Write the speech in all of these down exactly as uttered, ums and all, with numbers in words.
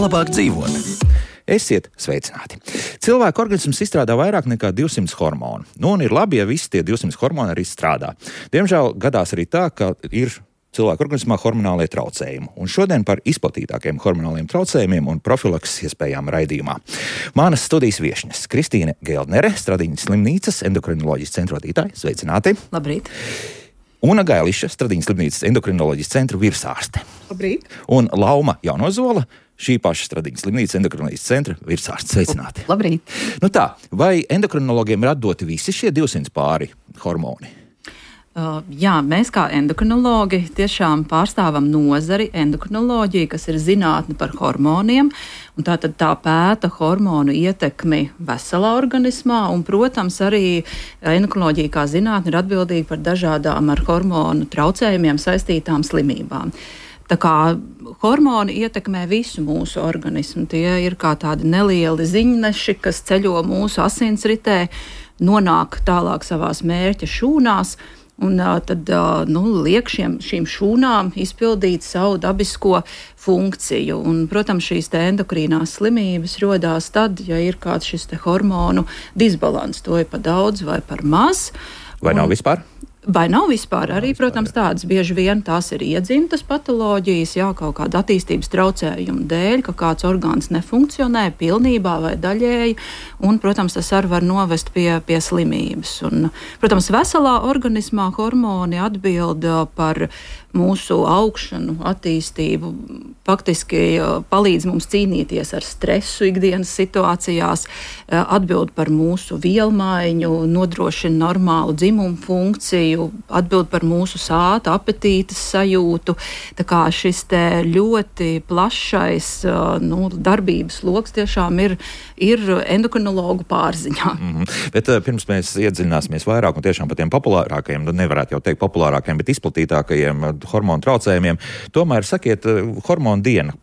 Labāk dzīvot. Esiet sveicināti. Cilvēka organisms izstrādā vairāk nekā divsimt hormonu. Nu, un ir labi, ja visi tie divsimt hormoni arī strādā. Diemžēl gadās arī tā, ka ir cilvēka organismā hormonālie traucējumi. Un šodien par izplatītākiem hormonāliem traucējumiem un profilakses iespējām raidījumā. Manas studijas viešņas Kristīne Geldnere, Stradiņas slimnīcas endokrinoloģijas centra vadītāja. Sveicināti. Labrīt. Una Gailiša, Stradiņas slimnīcas endokrinoloģijas centra virsārste. Labrīt. Un Lauma Jaunozola, šī paša Stradiņas slimnīcas endokrinoloģijas centra virsārste. Sveicināti. Labrīt. Nu tā, vai endokrinologiem ir atdoti visi šie divsimt pāri hormoni? Uh, jā, mēs kā endokrinologi tiešām pārstāvam nozari endokrinoloģiju, kas ir zinātne par hormoniem, un tā tad tā pēta hormonu ietekmi veselā organismā, un, protams, arī endokrinoloģija kā zinātne ir atbildīga par dažādām ar hormonu traucējumiem saistītām slimībām. Tā kā hormoni ietekmē visu mūsu organismu, tie ir kā tādi nelieli ziņneši, kas ceļo mūsu asinsritē, nonāk tālāk savās mērķa šūnās, un tad nu, liek šiem, šīm šūnām izpildīt savu dabisko funkciju. Un, protams, šīs te endokrīnās slimības rodās tad, ja ir kāds šis te hormonu disbalans, to ir par daudz vai par maz. Vai nav vispār? Vai nav vispār? Arī, protams, tādas bieži vien tās ir iedzimtas patoloģijas, jā, kaut kāda attīstības traucējuma dēļ, ka kāds orgāns nefunkcionē pilnībā vai daļēji, un, protams, tas arī var novest pie, pie slimības. Un, protams, veselā organismā hormoni atbild par mūsu augšanu, attīstību, faktiski palīdz mums cīnīties ar stresu ikdienas situācijās, atbild par mūsu vielmaiņu, nodrošina normālu dzimumu funkciju, atbild par mūsu sāta apetītes sajūtu. Tā kā šis te ļoti plašais nu, darbības loks tiešām ir, ir endokrinologu pārziņā. Mm-hmm. Bet uh, pirms mēs iedziļināsimies vairāk un tiešām par tiem populārākajiem, nu nevarētu jau teikt populārākajiem, bet izplatītākajiem hormonu traucējumiem, tomēr sakiet, hormonu diena.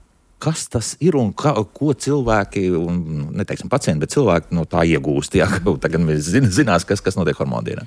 Kas tas ir un kā, ko cilvēki, un neteiksim pacienti, bet cilvēki no tā iegūst? Jā, tagad mēs zin, zinās, kas, kas notiek hormonu dienā.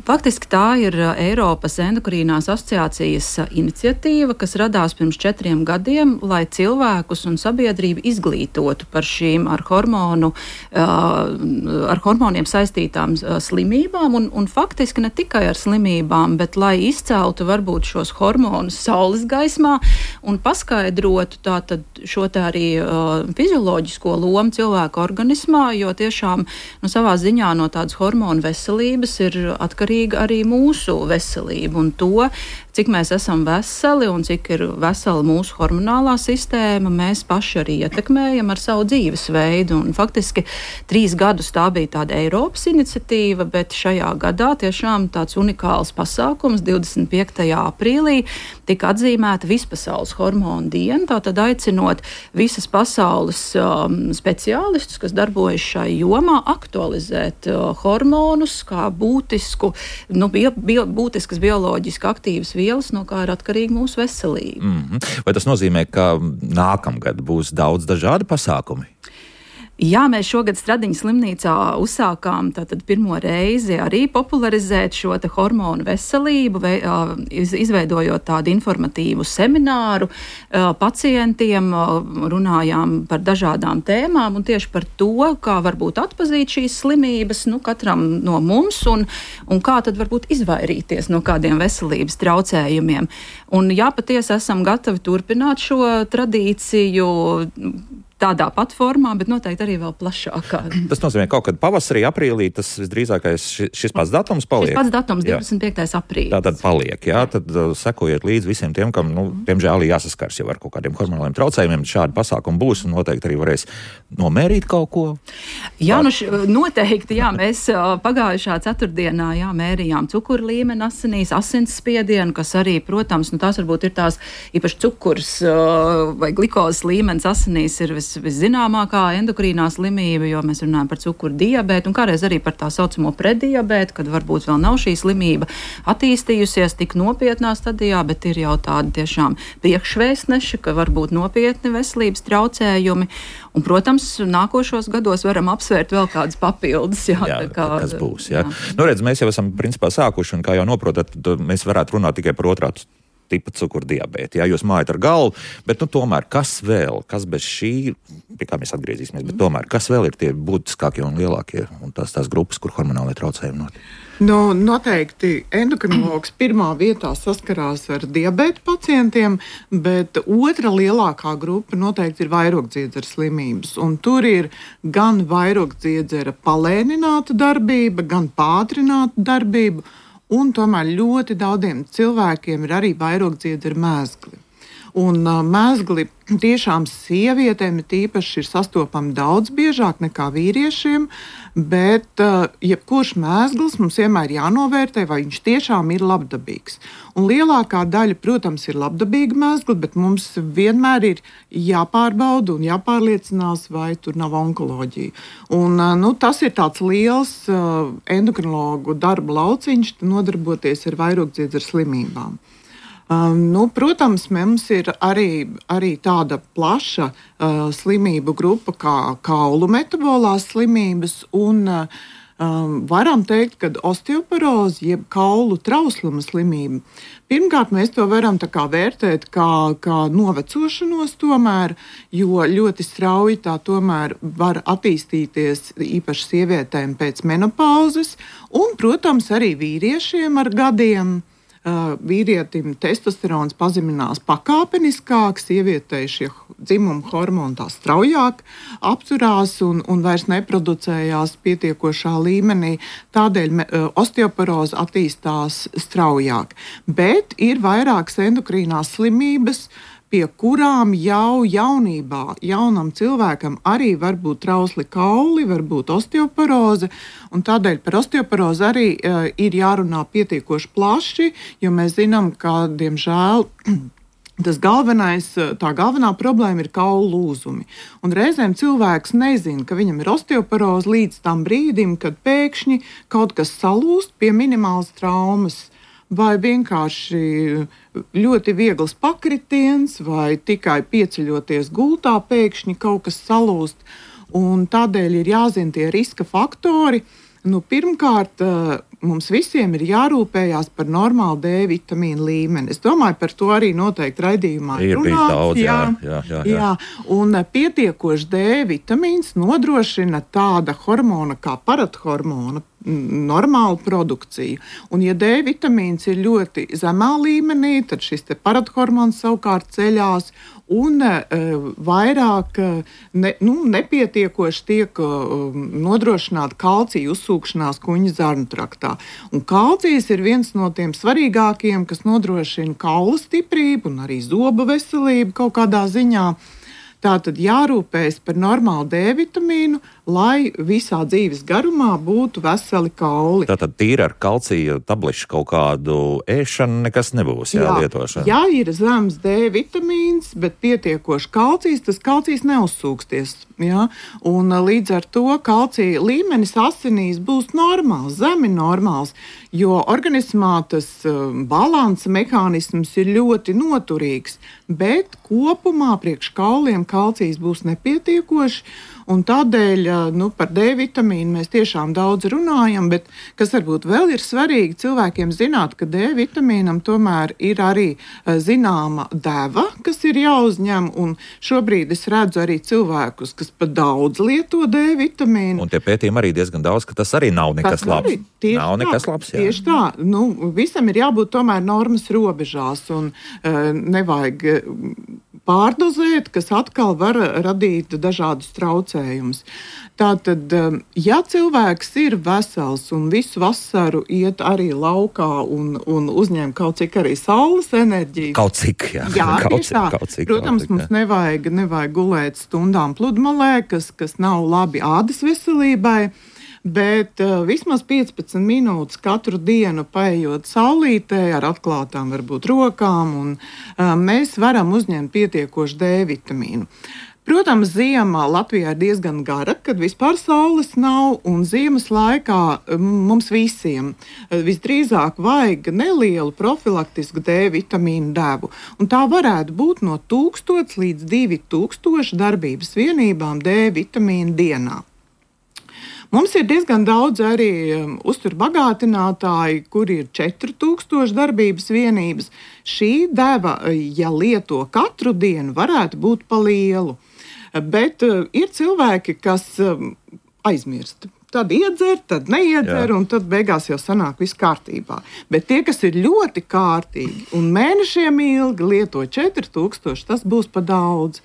Faktiski tā ir Eiropas endokrīnās asociācijas iniciatīva, kas radās pirms četriem gadiem, lai cilvēkus un sabiedrību izglītotu par šīm ar, hormonu, ar hormoniem saistītām slimībām, un, un faktiski ne tikai ar slimībām, bet lai izceltu varbūt šos hormonus saules gaismā un paskaidrotu tātad šo tā arī uh, fizioloģisko lomu cilvēku organismā, jo tiešām nu, savā ziņā no tādas hormonu veselības ir atkarīga arī mūsu veselība, un to, cik mēs esam veseli un cik ir vesela mūsu hormonālā sistēma, mēs paši arī ietekmējam ar savu dzīvesveidu, un faktiski trīs gadus tā bija tāda Eiropas iniciatīva, bet šajā gadā tiešām tāds unikāls pasākums divdesmit piektajā aprīlī tika atzīmēta vispasaules hormonu diena, tātad aicinot visas pasaules um, speciālistus, kas darbojas šai jomā, aktualizēt uh, hormonus kā būtisku, nu, bio, bio, būtiskas bioloģiski aktīvas vielas, no kā ir atkarīga mūsu veselība. Mm-hmm. Vai tas nozīmē, ka nākamgad būs daudz dažādi pasākumi? Jā, mēs šogad Stradiņas slimnīcā uzsākām tātad pirmo reizi arī popularizēt šo te hormonu veselību, vei, izveidojot tādu informatīvu semināru pacientiem, runājām par dažādām tēmām un tieši par to, kā varbūt atpazīt šīs slimības, nu, katram no mums un, un kā tad varbūt izvairīties no kādiem veselības traucējumiem. Un jā, patiesi esam gatavi turpināt šo tradīciju tādā pat formā, bet noteikti arī vēl plašākā. Tas nozīmē, kaut kad pavasarī, aprīlī, tas visdrīzākais šis pats datums paliek? Šis pats datums, divdesmit piektais aprīlis. Tā tad paliek, jā, tad uh, sekojiet līdz visiem tiem, kam, nu, diemžēl jāsaskars jau ar kaut kādiem hormonāliem traucējumiem, šādi pasākumi būs un noteikti arī varēs nomērīt kaut ko. Jā, nu š, noteikti, jā, mēs uh, pagājušā ceturtdienā, jā, mērījām cukuru līmeni asinīs, asinsspiedienu, kas arī, protams, nu tās varbūt ir tās īpaši cukurs uh, vai glikozes līmenis asinīs ir vis viszināmākā endokrīnā slimība, jo mēs runājam par cukuru diabētu un kādreiz arī par tā saucamo preddiabētu, kad varbūt vēl nav šī slimība attīstījusies tik nopietnā stadijā, bet ir jau tādi tiešām priekšvēstneši, ka var būt nopietni veselības traucējumi. Un, protams, nākošos gados varam apsvērt vēl kādas papildus. Jā, jā, kā, kas būs. Jā. Jā. Nu, redz, mēs jau esam principā sākuši, un kā jau noprotat, mēs varētu runāt tikai par otrā tipa cukuru diabētu. Jā, jūs mājat ar galvu, bet nu, tomēr kas vēl, kas bez šī, pie kā mēs atgriezīsimies, bet tomēr kas vēl ir tie būtiskākie un lielākie un tās, tās grupas, kur hormonālie traucējumi notiek? Nu, noteikti endokrinologs pirmā vietā saskarās ar diabēta pacientiem, bet otra lielākā grupa noteikti ir vairogdziedzera slimības. Un tur ir gan vairogdziedzera palēnināta darbība, gan pātrināta darbība, un tomēr ļoti daudziem cilvēkiem ir arī vairogdziedzera mēzgli. Un uh, mēzgli tiešām sievietēm ir tīpaši ir sastopami daudz biežāk nekā vīriešiem, bet uh, jebkurš mēzglis mums vienmēr jānovērtē, vai viņš tiešām ir labdabīgs. Un lielākā daļa, protams, ir labdabīga mēzgli, bet mums vienmēr ir jāpārbauda un jāpārliecinās, vai tur nav onkoloģija. Un, uh, nu, tas ir tāds liels uh, endokrinologu darba lauciņš, nodarboties ar vairogdziedzera slimībām. Um, nu, protams, mums ir arī, arī tāda plaša uh, slimību grupa kā kaulu metabolās slimības, un uh, um, varam teikt, ka osteoporoze, jeb kaulu trausluma slimība, pirmkārt mēs to varam tā kā vērtēt kā, kā novecošanos tomēr, jo ļoti strauji tā tomēr var attīstīties īpaši sievietēm pēc menopauzes, un, protams, arī vīriešiem ar gadiem. Uh, vīrietim testosterons pazeminās pakāpeniskāk, sievietei šie dzimuma hormoni tā straujāk apturās un, un vairs neproducējās pietiekošā līmenī. Tādēļ uh, osteoporoze attīstās straujāk. Bet ir vairākas endokrīnās slimības, pie kurām jau jaunībā, jaunam cilvēkam arī var būt trausli kauli, var būt osteoporoze, un tādēļ par osteoporozi arī uh, ir jārunā pietiekoši plaši, jo mēs zinām, ka, diemžēl, tas galvenais, tā galvenā problēma ir kaulu lūzumi. Un reizēm cilvēks nezina, ka viņam ir osteoporoze līdz tam brīdim, kad pēkšņi kaut kas salūst pie minimālas traumas, vai vienkārši ļoti viegls pakritiens, vai tikai pieceļoties gultā pēkšņi kaut kas salūst. Un tādēļ ir jāzina tie riska faktori. Nu, pirmkārt, mums visiem ir jārūpējās par normālu D vitamīnu līmeni. Es domāju, par to arī noteikti raidījumā ir runāts. Daudz, jā, jā, jā, jā. jā. Un pietiekoši D vitamīns nodrošina tāda hormona kā parathormona normālu produkciju. Un, ja D vitamīns ir ļoti zemā līmenī, tad šis te parathormons savukārt ceļās un uh, vairāk uh, ne, nu, nepietiekoši tiek uh, nodrošināta kalcija uzsūkšanās kuņģa zarnu traktā. Un kalcijs ir viens no tiem svarīgākajiem, kas nodrošina kaula stiprību un arī zobu veselību kaut kādā ziņā. Tātad jārūpējas par normālu D vitamīnu, lai visā dzīves garumā būtu veseli kauli. Tātad tīri ar kalcija tablešu kaut kādu ēšanu nekas nebūs, jā, jā lietošana. Ja ir zems D vitamīns, bet pietiekoši kalcijs, tas kalcijs neuzsūksties. Jā? Un līdz ar to kalcija līmenis asinīs būs normāls, zemi normāls, jo organismā tas balansa mehānisms ir ļoti noturīgs, bet kopumā priekš kauliem kalcijs būs nepietiekoši. Un tādēļ nu, par D vitamīnu mēs tiešām daudz runājam, bet kas varbūt vēl ir svarīgi cilvēkiem zināt, ka D vitamīnam tomēr ir arī zināma deva, kas ir jāuzņem, un šobrīd es redzu arī cilvēkus, kas pat daudz lieto D vitamīnu. Un tie pētījumi arī diezgan daudz, ka tas arī nav nekas labs. Nav nekas labs, jā. Tieši tā. Nu, visam ir jābūt tomēr normas robežās, un uh, nevajag pārdozēt, kas atkal var radīt dažādus traucējumus. Tātad, ja cilvēks ir vesels un visu vasaru iet arī laukā un, un uzņem kaut cik arī saules enerģiju. Kaut cik, jā. Jā, kaut tieši tā. Kaut cik, Protams, kaut cik, mums nevajag, nevajag gulēt stundām pludmalē, kas, kas nav labi ādas veselībai. Bet uh, vismaz piecpadsmit minūtes katru dienu paejot saulītē ar atklātām varbūt rokām, un uh, mēs varam uzņemt pietiekošu D vitamīnu. Protams, ziema Latvijā ir diezgan gara, kad vispār saules nav, un ziemas laikā mums visiem visdrīzāk vajag nelielu profilaktisku D vitamīnu devu. Un tā varētu būt no tūkstots līdz divi tūkstoši darbības vienībām D vitamīnu dienā. Mums ir diezgan daudz arī um, uzturbagātinātāji, kur ir četri tūkstoši darbības vienības. Šī deva, ja lieto katru dienu, varētu būt pa lielu. Bet uh, ir cilvēki, kas um, aizmirst. Tad iedzer, tad neiedzer, Jā. Un tad beigās jau sanāk viss kārtībā. Bet tie, kas ir ļoti kārtīgi un mēnešiem ilgi lieto četri tūkstoši, tas būs pa daudz.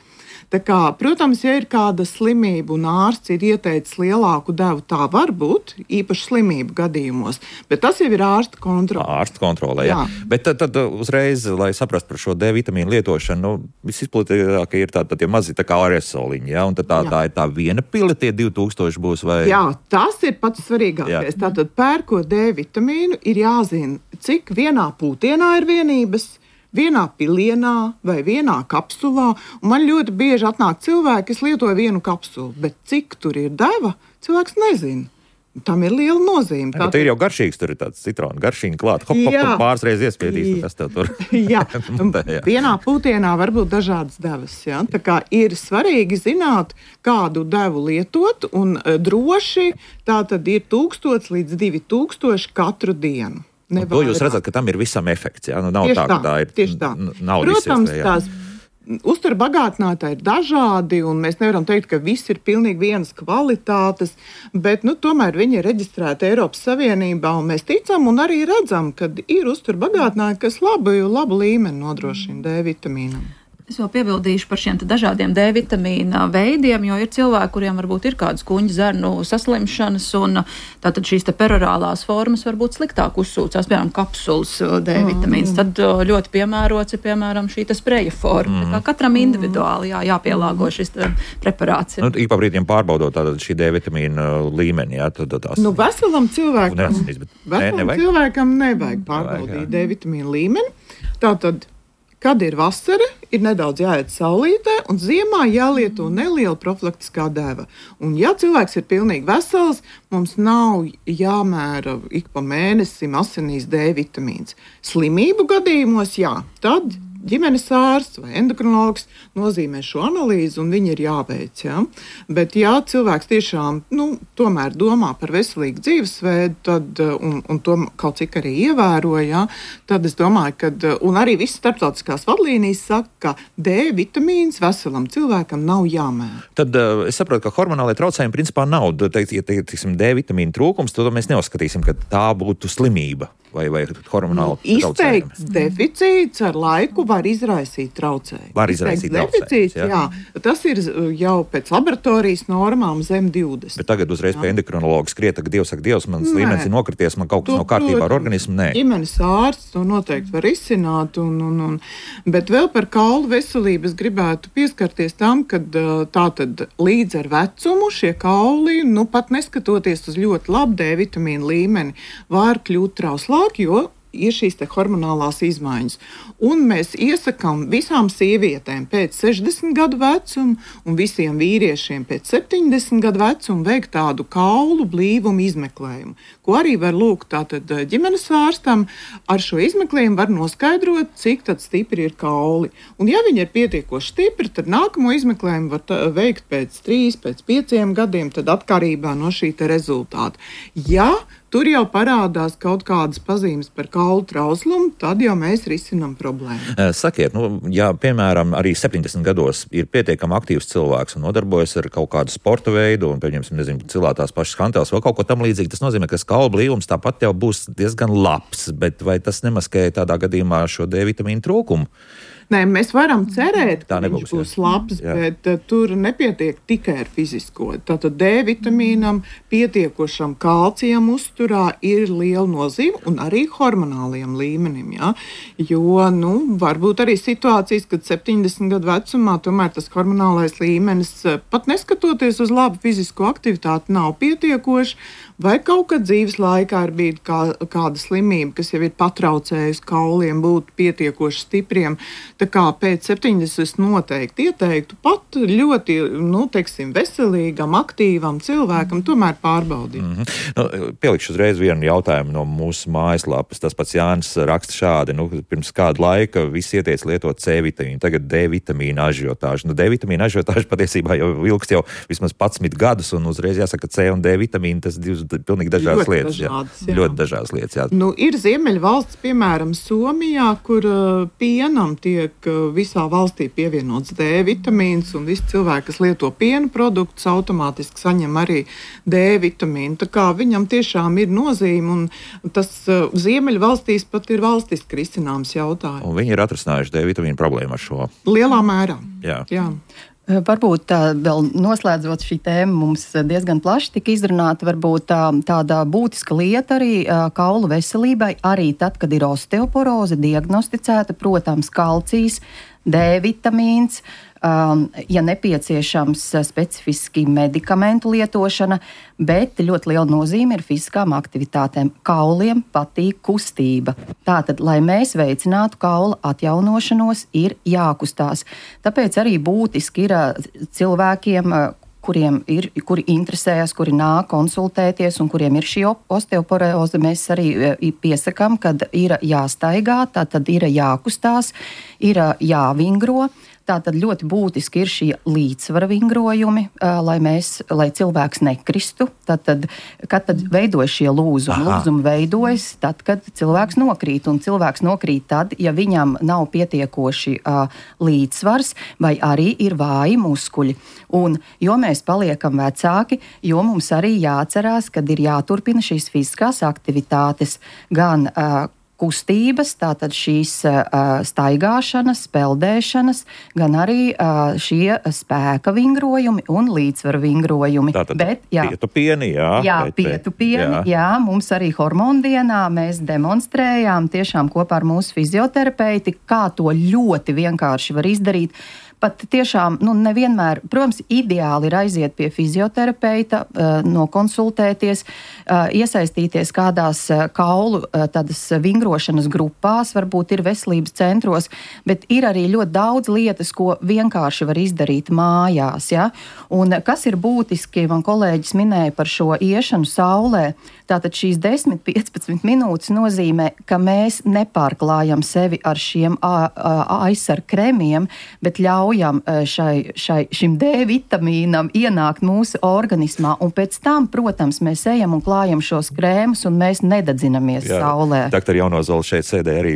Tā kā, protams, ja ir kāda slimība un ārsts ir ieteicis lielāku devu, tā var būt īpaši slimību gadījumos, bet tas jau ir ārsta kontrole. Ārsta kontrole, jā. jā. Bet tad, tad uzreiz, lai saprastu par šo D vitamīnu lietošanu, nu, visizplatītāk ir tādi tā, mazi tā kā aerosoliņi, jā, un tad tā, tā ir tā viena pile, tie divi tūkstoši būs vai... Jā, tas ir pats svarīgākais. Jā. Tātad pērkot D vitamīnu ir jāzina, cik vienā pūtienā ir vienības, vienā pilienā vai vienā kapsulā. Un man ļoti bieži atnāk cilvēki, kas lietoja vienu kapsulu, bet cik tur ir deva, cilvēks nezina. Tam ir liela nozīme. Tā ir jau garšīgs, tur ir tāds citrona garšīņa klāt. Hop, hop, hop, pāris reizes iespiedīs, kas tev tur. Jā, vienā pūtienā var būt dažādas devas. Ja? Tā kā ir svarīgi zināt, kādu devu lietot, un droši tā tad ir tūkstots līdz divi tūkstoši katru dienu. To jūs redzat, ka tam ir visam efekts, jā? Nu, nav tieši tā, ka tā ir tieši tā. Naudas Protams, iespēja. Tās uzturbagātinātāji ir dažādi, un mēs nevaram teikt, ka viss ir pilnīgi vienas kvalitātes, bet nu, tomēr viņi ir reģistrēti Eiropas Savienībā, un mēs ticam un arī redzam, ka ir uzturbagātinātāji, kas labu, labu līmeni nodrošina D vitamīnam. Es vēl piebildīšu par šiem dažādiem D vitamīna veidiem, jo ir cilvēki, kuriem varbūt ir kādas kuņģa zarnu saslimšanas, un tātad šīs te perorālās formas varbūt sliktāk uzsūcās, piemēram, kapsulas D vitamīns. Tad ļoti piemērots ir, piemēram, šī te spreja forma. Mm. Katram individuāli jā, jāpielāgo šis preparāts. Nu, ik pa brīdiem pārbaudot tātad šī D vitamīna līmeni, jā, tad tās... Nu, veselam cilvēkam, neatsinīs, bet veselam ne, nevajag. cilvēkam nevajag pārbaudīt nevajag, D vitamīna līmeni. Tātad, kad ir vasara, ir nedaudz jāiet saulītē, un ziemā jālieto neliela profilaktiskā deva. Un ja cilvēks ir pilnīgi vesels, mums nav jāmēra ik pa mēnesim asinīs D vitamīns. Slimību gadījumos, jā, tad ģimenes ārsts vai endokrinologs nozīmē šo analīzi, un viņi ir jāveic. Ja? Bet, ja cilvēks tiešām nu, tomēr domā par veselīgu dzīvesveidu, tad, un, un to kaut cik arī ievēro, ja? Tad es domāju, ka, un arī visas starptautiskās vadlīnijas saka, ka D vitamīns veselam cilvēkam nav jāmēra. Tad uh, es saprotu, ka hormonālai traucējumi principā nav. Teikt, ja teiksim, D vitamīna trūkums, tad mēs neuzskatīsim, ka tā būtu slimība. Vai, vai hormonāli nu, izteikts deficīts ar laiku var izraisīt traucējumu. Var izraisīt traucējumus, jā. jā. Tas ir jau pēc laboratorijas normām zem divdesmit. Bet tagad uzreiz jā. Pie endokrinologa skriet, ka Dievs saka, Dievs, mans līmenis ir nokrities, man kaut kas to, nav kārtībā ar organismu. Nē. Ģimenes ārsts to noteikti var izsināt. Un, un, un, bet vēl par kaulu veselību es gribētu pieskarties tam, ka tātad līdz ar vecumu šie kauli, nu pat neskatoties uz ļoti labu D vitamīnu līmeni, var kļūt trauslā. Jo ir šīs te hormonālās izmaiņas. Un mēs iesakām visām sievietēm pēc sešdesmit gadu vecuma un visiem vīriešiem pēc septiņdesmit gadu vecuma veikt tādu kaulu blīvumu izmeklējumu, ko arī var lūgt tātad ģimenes ārstam. Ar šo izmeklējumu var noskaidrot, cik tad stipri ir kauli. Un ja viņi ir pietiekoši stipri, tad nākamo izmeklējumu var tā, veikt pēc trīs, pēc pieciem gadiem, tad atkarībā no šī te rezultāta. Ja tur jau parādās kaut kādas pazīmes par kaulu trauslumu, tad jau mēs risinām problēmu. Sakiet, nu, ja, piemēram, arī septiņdesmit gados ir pietiekami aktīvs cilvēks un nodarbojas ar kaut kādu sporta veidu, un, pieņemsim, nezinu, cilāt tās pašas hanteles vai kaut ko tam līdzīgi, tas nozīmē, ka kaulu blīvums tāpat jau būs diezgan labs, bet vai tas nemaskē tādā gadījumā šo D vitamīnu trūkumu? Nē, mēs varam cerēt, ka nebūs, viņš būs jā. labs, Jā. bet uh, tur nepietiek tikai ar fizisko. Tātad D vitamīnam, pietiekošam kalcijam uzturā ir liela nozīme un arī hormonālajam līmenim. Ja? Jo, nu, varbūt arī situācijas, kad septiņdesmit gadu vecumā tomēr tas hormonālais līmenis, pat neskatoties uz labu fizisko aktivitāti, nav pietiekoši, vai kaut kad dzīves laikā ir bijis kā, kāda slimība, kas jau ir patraucējusi kauliem būt pietiekoši stipriem. Tā kā pēc septiņdesmit noteikti ieteiktu pat ļoti, nu, teiksim, veselīgam, aktīvam cilvēkam tomēr pārbaudīt. Mm-hmm. Nu, pielikšu uzreiz vienu jautājumu no mūsu mājaslapas. Tas pats Jānis raksta šādi, nu, pirms kādu laika visi ieteica lietot C vitamīnu, tagad D vitamīna ažiotāžu. Nu, D vitamīna ažiotāžu patiesībā jau ilgst jau vismaz padsmit gadus, un uzreiz jāsaka, ka C un D vitamīna tas divas pilnīgi dažādas ļoti lietas. Dažādas, jā. Jā. Ļoti dažādas lietas, jā. Nu, ir Ziemeļvalsts, piemēram, Somijā, kur uh, pienam tiek uh, visā valstī pievienots D vitamīns, un visi cilvēki, kas lieto piena produktus, automātiski saņem arī D vitamīnu. Tā kā viņam tiešām ir nozīme, un tas uh, Ziemeļvalstīs pat ir valstiski risināms jautājums. Un viņi ir atrisinājuši D vitamīnu problēmu ar šo. Lielā mērā. Jā. Jā. Varbūt tā, vēl noslēdzot šī tēma mums diezgan plaši tika izrunāta, varbūt tā, tāda būtiska lieta arī kaulu veselībai, arī tad, kad ir osteoporoze diagnosticēta, protams, kalcijs, D vitamīns, um, ja nepieciešams specifiski medikamentu lietošana, bet ļoti liela nozīme ir fiziskām aktivitātēm. Kauliem patīk kustība. Tātad, lai mēs veicinātu kaula atjaunošanos, ir jākustās. Tāpēc arī būtiski ir cilvēkiem, kuriem ir, kuri interesējas, kuri nāk konsultēties un kuriem ir šī osteoporoze, mēs arī piesakām, kad ir jāstaigā, tātad ir jākustās, ir jāvingro. Tātad ļoti būtiski ir šie līdzsvara vingrojumi, lai, mēs, lai cilvēks nekristu. Tātad, kad tad veidojas šie lūzumi? Lūzumi veidojas tad, kad cilvēks nokrīt. Un cilvēks nokrīt tad, ja viņam nav pietiekoši uh, līdzsvars vai arī ir vāji muskuļi. Un jo mēs paliekam vecāki, jo mums arī jāatcerās, kad ir jāturpina šīs fiziskās aktivitātes gan uh, kustības, tātad šīs uh, staigāšanas, peldēšanas, gan arī uh, šie spēka vingrojumi un līdzsvaru vingrojumi. Tātad Bet, jā, pietu pieni, jā. Jā, bet, pietu pieni, jā. jā. Mums arī hormonu dienā mēs demonstrējām tiešām kopā ar mūsu fizioterapeiti, kā to ļoti vienkārši var izdarīt. Pat tiešām, nu, nevienmēr, protams, ideāli ir aiziet pie fizioterapeita, nokonsultēties, iesaistīties kādās kaulu tādas vingrošanas grupās, varbūt ir veselības centros, bet ir arī ļoti daudz lietas, ko vienkārši var izdarīt mājās. Ja? Un kas ir būtiski, man kolēģis minēja par šo iešanu saulē, tātad šīs desmit līdz piecpadsmit minūtes nozīmē, ka mēs nepārklājam sevi ar šiem aizsarg kremiem, bet ļauj Šai, šai, šim D vitamīnam ienākt mūsu organismā, un pēc tam, protams, mēs ejam un klājam šos krēmus, un mēs nededzinamies Jā, saulē. Doktor Jaunozola šeit sēdē arī,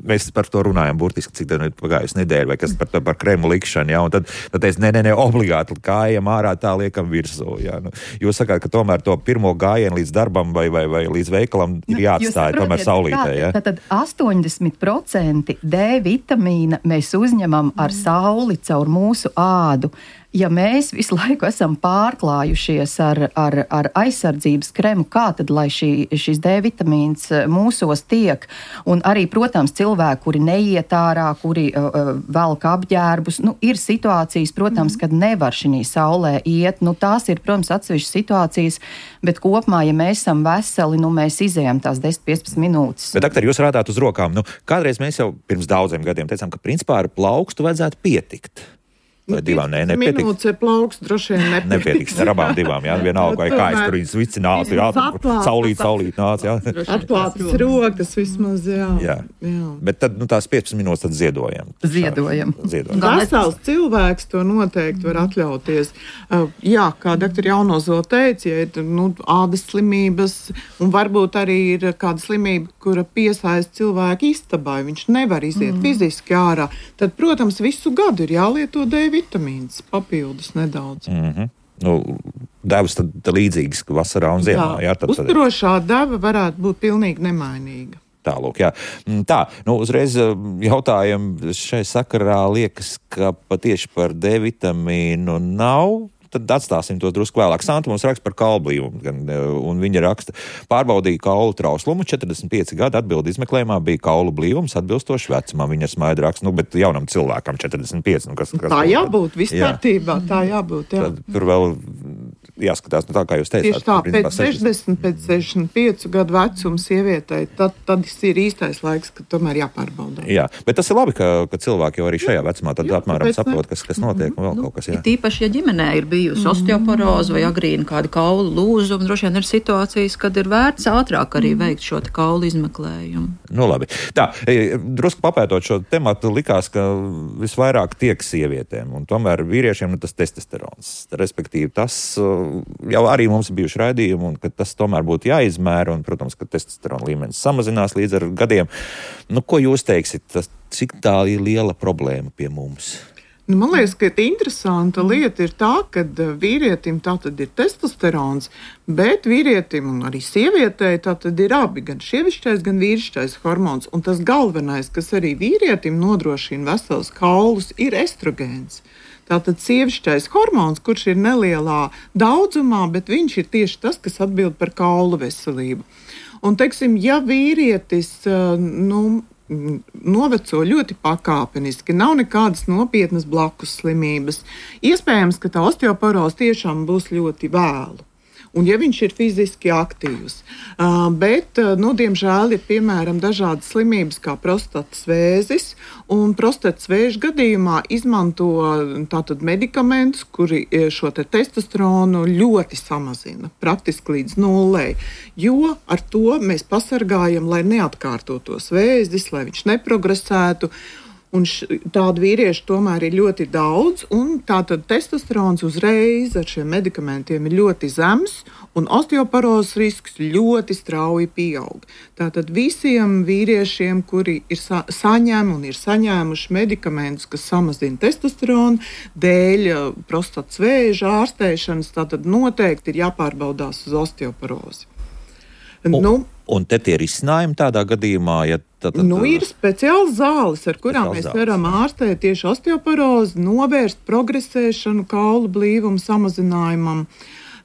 mēs par to runājam burtiski, cik tā pagājusi nedēļa, vai kas par, par krēmu likšanu, jā, un tad, tad teicu, ne, ne, ne, obligāti, kā ejam ārā, tā liekam virsū, jā. Nu, jūs sakāt, ka tomēr to pirmo gājienu līdz darbam vai, vai, vai līdz veikalam ir jāatstāja, nu, tomēr saulītē, jā. Tātad astoņdesmit procenti D vitamīna mēs uzņemam ar sauli caur mūsu ādu. Ja mēs visu laiku esam pārklājušies ar, ar, ar aizsardzības kremu, kā tad, lai šī, šis D vitamīns mūsos tiek? Un arī, protams, cilvēki, kuri neiet ārā, kuri uh, velk apģērbus, nu, ir situācijas, protams, kad nevar šī saulē iet. Nu, tās ir, protams, atsevišķas situācijas, bet kopumā, ja mēs esam veseli, nu, mēs izējam tās desmit līdz piecpadsmit minūtes. Bet, doktor, jūs rādāt uz rokām. Nu, kādreiz mēs jau pirms daudziem gadiem teicām, ka principā ar plaukstu vajadzētu pietikt. Vai divām, nē, nepietiks. Minūtes ir plauks, droši vien nepietiks. Nepietiks, ar abām divām, jā, vienalga, vai kājas tur viņas vicinātu, jā, saulīt, saulīt nāc, jā. Atklātas rokas vismaz, jā. jā. jā. Bet tad, nu, tās piecpadsmit minūtes tad ziedojam. Ziedojam. ziedojam. Vesels cilvēks to noteikti var atļauties. Uh, jā, kā doktor Jaunozola teica, ja ir, nu, ādas slimības, un varbūt arī ir kāda slimība, kura piesaista cilvēku istabai, viņš nevar iziet mm. fiziski ārā, tad, protams, visu gadu ir jālieto D vitamīns, papildus nedaudz. Mm-hmm. Nu, devas tad, tad līdzīgas vasarā un ziemā. Jā, jā tad, uzturošā deva varētu būt pilnīgi nemainīga. Tālūk, jā. Tā, nu, uzreiz jautājam šai sakarā liekas, ka patieši par D vitamīnu nav. Tad atstāsim to drusku vēlāk. Santa mums raksta par kaulblīvumu, un viņa raksta, pārbaudīja kaulu trauslumu, četrdesmit pieci gadi atbildi izmeklējumā bija kaulu blīvums atbilstoši vecumam. Viņa smaida raksta, nu, bet jaunam cilvēkam četrdesmit pieci. Nu, kas, kas tā jābūt, viss kārtībā, tā jābūt, jā. Tad tur vēl jāskatās, nu, tā kā jūs teicāt. Tieši tā, pēc sešdesmit, pēc sešdesmit piecu gadu vecuma sievietei, tad, tad ir īstais laiks, kad tomēr jāpārbauda. Jā, bet tas ir labi, ka, ka cilvēki jau arī šajā vecumā tad jā, apmēram saprot, kas, kas notiek mm-hmm. un vēl nu, kaut kas. Jā. Tīpaši, ja ģimenē ir bijusi mm-hmm. osteoporoze vai agrīna kāda kaulu lūzuma, droši vien ir situācijas, kad ir vērts ātrāk arī veikt šo te kaulu izmeklējumu. Nu, labi. Tā, drusku papētot šo tematu, likās, ka visvairāk tiek sievietēm, un tomēr vīriešiem nu, tas testosterons. Respektīvi, tas jau arī mums ir bijuši raidījumi, un ka tas tomēr būtu jāizmēra, un, protams, ka testosterona līmenis samazinās līdz ar gadiem. Nu, ko jūs teiksit, tas, cik tā ir liela problēma pie mums? Nu, man liekas, ka interesanta lieta ir tā, ka vīrietim tātad ir testosterons, bet vīrietim un arī sievietei tātad ir abi, gan sievišķais, gan vīrišķais hormons. Un tas galvenais, kas arī vīrietim nodrošina vesels kaulus, ir estrogēns. Tātad sievišķais hormons, kurš ir nelielā daudzumā, bet viņš ir tieši tas, kas atbild par kaulu veselību. Un, teiksim, ja vīrietis, nu, noveco ļoti pakāpeniski, nav nekādas nopietnas blakus slimības. Iespējams, ka tā osteoporoze tiešām būs ļoti vēlu. Un ja viņš ir fiziski aktīvs. Uh, bet, nu, diemžēl, ir piemēram dažādas slimības kā prostatas vēzis, un prostatas vēža gadījumā izmanto tātad medikamentus, kuri šo te testosteronu ļoti samazina, praktiski līdz nullei, jo ar to mēs pasargājam, lai neatkārtotos vēzis, lai viņš neprogresētu. Un š, tādu vīriešu tomēr ir ļoti daudz, un tātad testosterons uzreiz ar šiem medikamentiem ir ļoti zems, un osteoporozes risks ļoti strauji pieaug. Tātad visiem vīriešiem, kuri ir sa- saņem un ir saņēmuši medikamentus, kas samazina testosteronu, dēļ prostatas vēža ārstēšanas, tātad noteikti ir jāpārbaudās uz osteoporozi. Un, nu, un te tie risinājumi tādā gadījumā, ja tad, nu, ir speciāls zāles, ar kurām mēs zāles. varam ārstēt tieši osteoporozi, novērst progresēšanu kaulu blīvumu samazinājumam.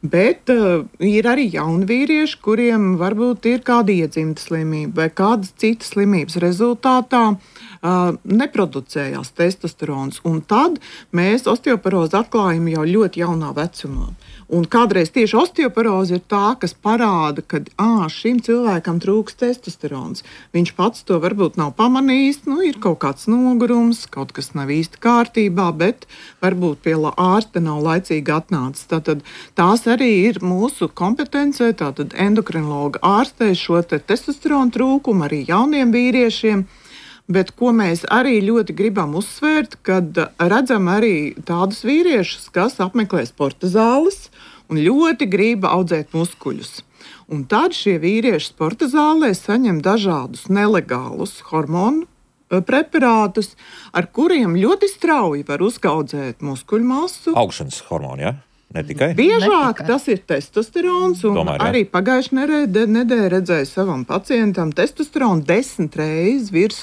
Bet uh, ir arī jauni vīrieši, kuriem varbūt ir kāda iedzimta slimība vai kādas citas slimības rezultātā uh, neproducējās testosterons. Un tad mēs osteoporozi atklājam jau ļoti jaunā vecumā. Un kādreiz tieši osteoporoze ir tā, kas parāda, ka ā, šim cilvēkam trūks testosterons. Viņš pats to varbūt nav pamanījis, nu, ir kaut kāds nogurums, kaut kas nav īsti kārtībā, bet varbūt pie ārsta nav laicīgi atnācis. Tātad tās arī ir mūsu kompetencē, tātad endokrinologa ārstē šo te testosteronu trūkumu arī jauniem vīriešiem. Bet ko mēs arī ļoti gribam uzsvērt, kad redzam arī tādus vīriešus, kas apmeklē sporta zāles un ļoti grib audzēt muskuļus. Un tad šie vīrieši sporta zālē saņem dažādus nelegālus hormonu preparātus, ar kuriem ļoti strauji var uzaudzēt muskuļu masu. Augšanas hormoni, ja? Ne tikai? Biežāk tas ir testosterons, un Tomēr, ja? arī pagājušajā nedēļā redzēju savam pacientam testosteronu desmit reizes virs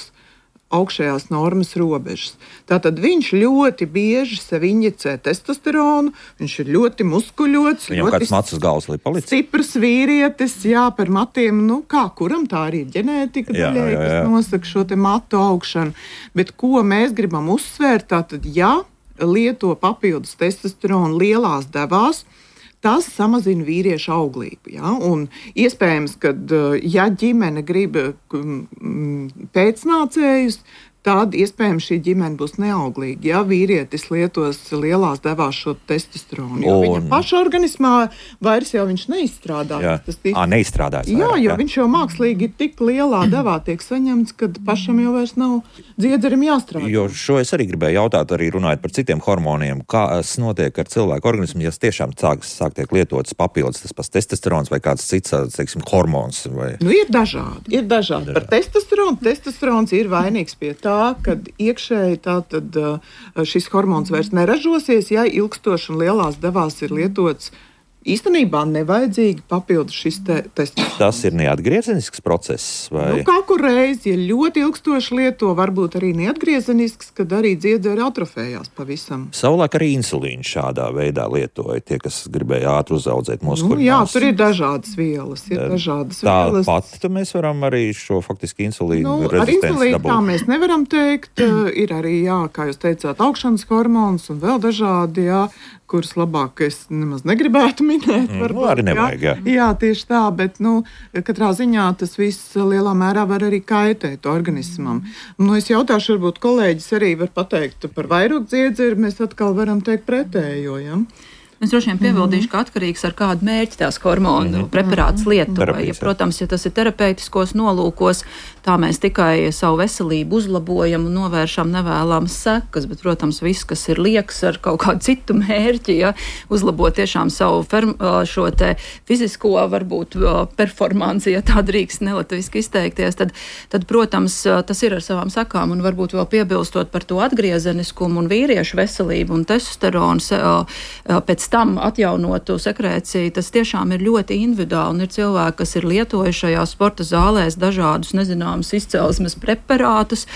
augšējās normas robežas. Tātad viņš ļoti bieži sev injicē testosteronu, viņš ir ļoti muskuļots, Viņam ļoti kāds mats uz galvas līdz palicis? stiprs vīrietis, jā, par matiem, nu kā kuram tā arī ir ģenētika Jā, daļai, jā, jā. kas nosaka šo te matu augšanu. Bet ko mēs gribam uzsvērt, tātad, ja lieto papildus testosteronu lielās devās, tas samazina vīriešu auglību. Ja? Un iespējams, ka ja ģimene grib pēcnācējus, tad iespējams šī ģimene būs neauglīga, ja vīrietis lietos lielās devās šo testosteronu. Jo Un... viņa paša organismā vairs jau viņš neizstrādājas. Jā, Tas tic... à, neizstrādājas. Jā, vairāk, jo viņš jau mākslīgi ir tik lielā devā tiek saņemts, ka pašam jau vairs nav dziedzerim jāstrādā. Jo šo es arī gribēju jautāt, arī runājot par citiem hormoniem, kas notiek ar cilvēku organismu, ja tiešām sāk, sāk tiek lietots papildus tas pats testosterons vai kāds cits, teiksim, hormons. Vai... Nu, ir dažādi, ir dažādi. Par testosteronu, testosterons ir vainīgs pie tā, kad iekšēji tātad šis hormons vairs neražosies, ja ilgstoši un lielās devās ir lietots īstenībā nevajadzīgi papildus šis te testosterons. Tas ir neatgriezenisks process? Vai... Nu, kā kur reiz, ja ļoti ilgstoši lieto, varbūt arī neatgriezenisks, kad arī dziedzeri atrofējās pavisam. Savulaik arī insulīnu šādā veidā lietoja tie, kas gribēja ātri uzaudzēt muskuļu Nu, jā, masu. tur ir dažādas vielas. Ir dažādas Tā vielas. pat mēs varam arī šo faktiski insulīnu Nu, ar rezistenci insulīnu tā dabūt. mēs nevaram teikt. Ir arī, jā, kā jūs teicāt, augšanas hormons un vēl dažādi, jā, kurus labāk es nemaz negribētu minēt. Mm, varbūt, arī nevajag, jā. Jā, tieši tā, bet, nu, katrā ziņā tas viss lielā mērā var arī kaitēt organismam. Nu, es jautāšu, varbūt kolēģis arī var pateikt par vairogdziedzeri, mēs atkal varam teikt pretējo, ja? Es droši vien piebildīšu, ka atkarīgs ar kādu mērķi tās hormonu mm -hmm. preparāts lietoja. Ja, protams, ja tas ir terapeitiskos nolūkos, tā mēs tikai savu veselību uzlabojam un novēršam nevēlamas sekas, bet, protams, viss, kas ir lieks ar kaut kādu citu mērķi, ja, uzlabot tiešām savu ferm, šo te fizisko, varbūt, performanci, ja tā drīkst nelatviski izteikties, tad, tad, protams, tas ir ar savām sekām, un varbūt vēl piebilstot par to atgriezeniskumu un vīriešu veselību un testosteronu pēc tam atjaunotu sekrēciju, tas tiešām ir ļoti individuāli, un ir cilvēki, kas ir lietojuši šajā sporta zālēs dažādus nezināmus izcelsmes preparātus,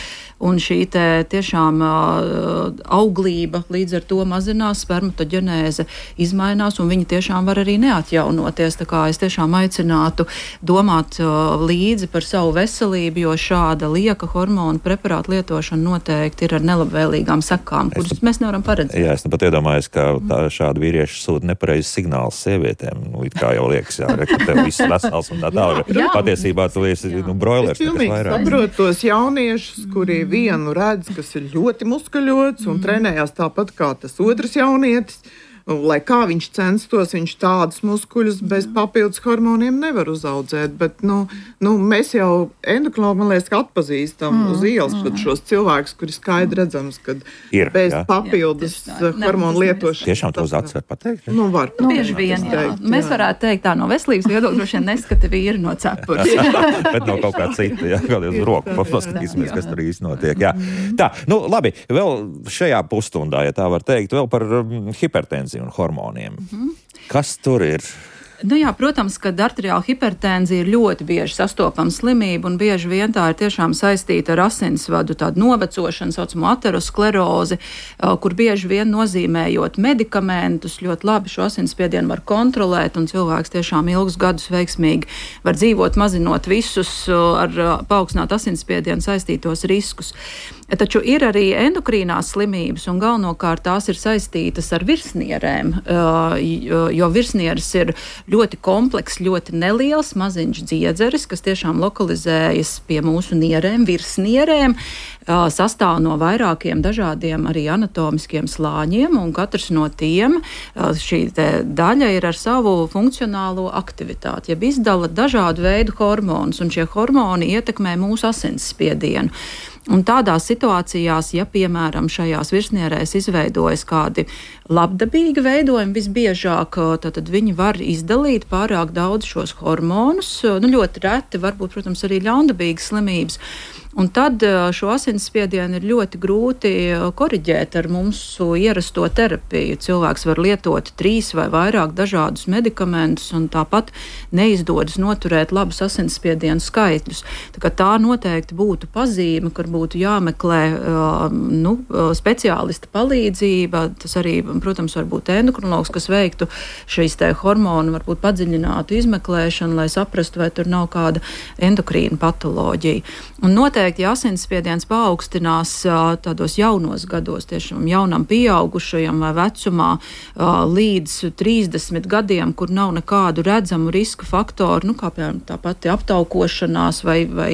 un šī te tiešām uh, auglība līdz ar to mazinās, spermatoģenēze izmainās, un viņi tiešām var arī neatjaunoties. Tā kā es tiešām aicinātu domāt uh, līdzi par savu veselību, jo šāda lieka hormonu preparātu lietošana noteikti ir ar nelabvēlīgām sekām, kuras es, mēs nevaram paredzēt. Jā, es nu pat iedomājos, ka tā, šādi vīrieši sūta nepareizes signālus sievietēm. Nu, it kā jau liekas, jā, re, ka tev viss vesels un tā tālāk. Patiesībā tu esi nu, broilers. Es pilnīgi saprotu tos jauniešus, kuri vienu redz, kas ir ļoti muskuļots un mm. trenējās tāpat kā tas otrs jaunietis. Lai kā viņš censtos, viņš tādus muskuļus bez papildus hormoniem nevar uzaudzēt. Bet nu, nu, mēs jau endokrinologi, man liekas, atpazīstam mm, uz ielas mm. šos cilvēkus, kuri skaidri redzams, ka ir, bez jā. papildus jā, hormonu lietošanas. Tiešām tos acis var pateikt? Nu, var. Nu, bieži vien, jā. Teikt, mēs varētu teikt tā no veselības viedokļa, droši vien neskata vīri no cepures. Bet no kaut kā cita, jā, kaut uz roku paskatīsimies, kas tur īsti notiek. Jā. Tā, nu labi, vēl šajā pusstundā, ja tā var teikt, vēl par um, hipertenziju un hormoniem. Mm-hmm. Kas tur ir? Nu jā, protams, ka arteriāla hipertenzija ir ļoti bieži sastopama slimība, un bieži vien tā ir tiešām saistīta ar asinsvadu tādu novecošanu, saucamo aterosklerozi, kur bieži vien nozīmējot medikamentus, ļoti labi šo asinsspiedienu var kontrolēt, un cilvēks tiešām ilgus gadus veiksmīgi var dzīvot, mazinot visus ar paaugstināt asinsspiedienu saistītos riskus. Taču ir arī endokrīnās slimības, un galvenokārt tās ir saistītas ar virsnierēm, jo virsnieres ir ļoti komplekss, ļoti neliels, maziņš dziedzeris, kas tiešām lokalizējas pie mūsu nierēm, virsnierēm, sastāv no vairākiem dažādiem arī anatomiskiem slāņiem, un katrs no tiem, šī daļa ir ar savu funkcionālo aktivitāti, jeb izdala dažādu veidu hormonus, un šie hormoni ietekmē mūsu asinsspiedienu. Un tādās situācijās, ja, piemēram, šajās virsnierēs izveidojas kādi labdabīgi veidojumi, visbiežāk tad viņi var izdalīt pārāk daudz šos hormonus, nu ļoti reti, varbūt, protams, arī ļaundabīgas slimības. Un tad šo asinsspiedienu ir ļoti grūti koriģēt ar mūsu ierasto terapiju. Cilvēks var lietot trīs vai vairāk dažādus medikamentus, un tāpat neizdodas noturēt labus asinsspiedienu skaitļus. Tā kā tā noteikti būtu pazīme, kur būtu jāmeklē nu, speciālista palīdzība. Tas arī, protams, var būt endokrinologs, kas veiktu šīs te hormonu, varbūt padziļinātu izmeklēšanu, lai saprastu, vai tur nav kāda endokrīna patoloģija. Un noteikti ja asinsspiediens paaugstinās tādos jaunos gados, tiešām jaunam pieaugušajam vai vecumā līdz trīsdesmit gadiem, kur nav nekādu redzamu riska faktoru, nu, kā piemēram tā pati aptaukošanās vai, vai,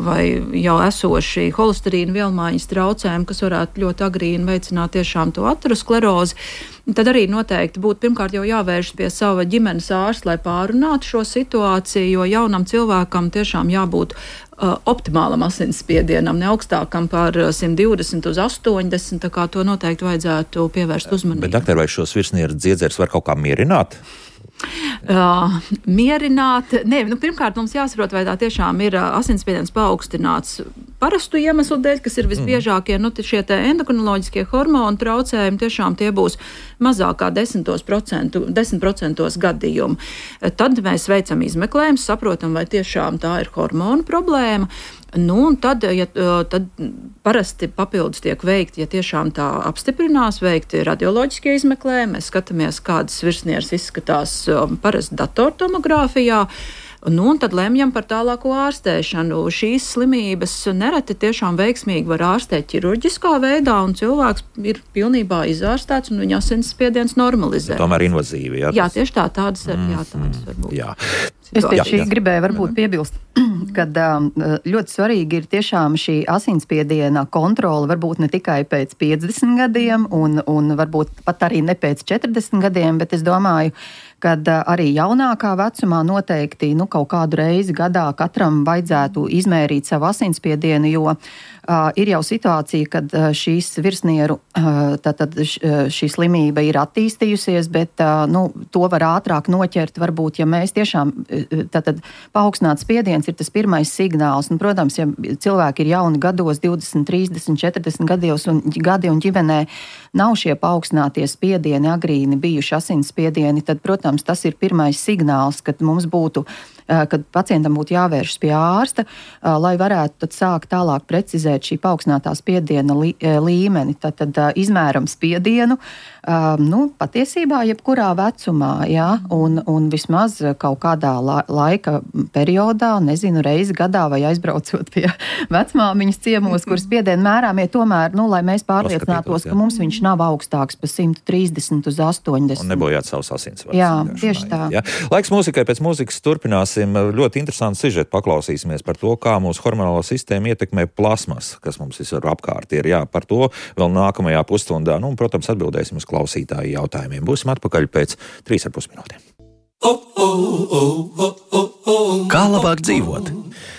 vai jau esoši holesterīna vielmaiņas traucējumi, kas varētu ļoti agrīni veicināt tiešām to aterosklerozi. Tad arī noteikti būtu pirmkārt jau jāvēršas pie sava ģimenes ārsta, lai pārunātu šo situāciju, jo jaunam cilvēkam tiešām jābūt uh, optimālam asinsspiedienam, ne augstākam par simt divdesmit uz astoņdesmit, tā kā to noteikti vajadzētu pievērst uzmanību. Bet, doktor, vai šos virsnieru dziedzeres var kaut kā mierināt? Uh, mierināt, ne, nu, pirmkārt mums jāsaprot, vai tā tiešām ir uh, asinsspiediens paaugstināts parastu iemeslu dēļ, kas ir visbiežākie, mm. nu, šie te endokrinoloģiskie hormonu traucējumi, tiešām tie būs mazākā desmit procentos gadījumu. Tad mēs veicam izmeklējumus, saprotam, vai tiešām tā ir hormonu problēma. Nu, un tad, ja, tad parasti papildus tiek veikti, ja tiešām tā apstiprinās, veikti radioloģiskie izmeklējumi, mēs skatāmies, kādas virsnieres izskatās parasti datortomogrāfijā, Nu, un tad lemjam par tālāko ārstēšanu. Šīs slimības nereti tiešām veiksmīgi var ārstēt ķirurģiskā veidā, un cilvēks ir pilnībā izārstēts, un viņa asinsspiediens normalizē. Ja tomēr invazīvi, jā? Jā, tieši tā, tādas ir, jā, tādas var būt. Jā. Es pie šī gribēju varbūt piebilst, kad ļoti svarīgi ir tiešām šī asinsspiediena kontrole, varbūt ne tikai pēc piecdesmit gadiem un, un varbūt pat arī ne pēc četrdesmit gadiem, bet es domāju, kad arī jaunākā vecumā noteikti nu, kaut kādu reizi gadā katram vajadzētu izmērīt savu asinsspiedienu, jo uh, ir jau situācija, kad uh, šīs virsnieru, uh, tātad šī slimība ir attīstījusies, bet uh, nu, to var ātrāk noķert, varbūt, ja mēs tiešām, tātad paaugstināts spiediens ir tas pirmais signāls, un, protams, ja cilvēki ir jauni gados, divdesmit, trīsdesmit, četrdesmit gados un gadi un ģimenē nav šie paaugstinātie spiedieni agrīni bijuši asinsspiedieni, tad, protams, tas ir pirmais signāls, kad mums būtu, kad pacientam būtu jāvēršas pie ārsta, lai varētu tad sākt tālāk precizēt šī paaugstinātā spiediena līmeni. Tad, tad izmēram spiedienu, nu, patiesībā jebkurā vecumā, jā, un, un vismaz kaut kādā la, laika periodā, nezinu, reizi gadā vai aizbraucot pie vecmāmiņas ciemos, kur spiedienu mērām, ja tomēr, nu, lai mēs pārliecinātos, ka mums viņš nav augstāks pa simt trīsdesmit uz astoņdesmit. Un nebojāt savus asinsvadus. Jā, tieši tā. Jā. Laiks mūzikai, pēc mūzikas turpināsim. Ļoti interesantu sižetu paklausīsimies par to, kā mūsu hormonālo sistēmu ietekmē plasmas, kas mums visur apkārt ir. Jā, par to vēl nākamajā pusstundā. Nu, un, protams, atbildēsim uz klausītāju jautājumiem. Būsim atpakaļ pēc trīs ar pus minūtēm. Kā labāk dzīvot?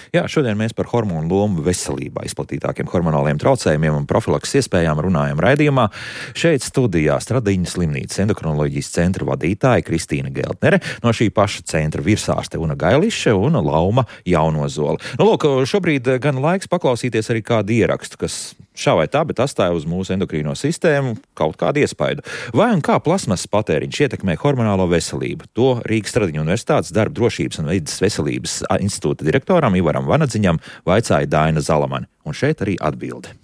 Jā, šodien mēs par hormonu lomu veselībā, izplatītākiem hormonāliem traucējumiem un profilakses iespējām runājam raidījumā. Šeit studijā Stradiņas slimnīcas endokrinoloģijas centra vadītāja Kristīna Geltnere, no šī paša centra virsārste Una Gailiše un Lauma Jaunozola. Nu, lūk, šobrīd gan laiks paklausīties arī kādu ierakstu, kas šā vai tā, bet atstāja uz mūsu endokrīno sistēmu kaut kādu iespaidu. Vai un kā plasmasas patēriņš ietekmē hormonālo veselību? To Rīgas Stradiņu universitātes darba drošības un vides veselības institūta direktoram Ivaram Vanadziņam vaicāja Daina Zalamani. Un šeit arī atbilde.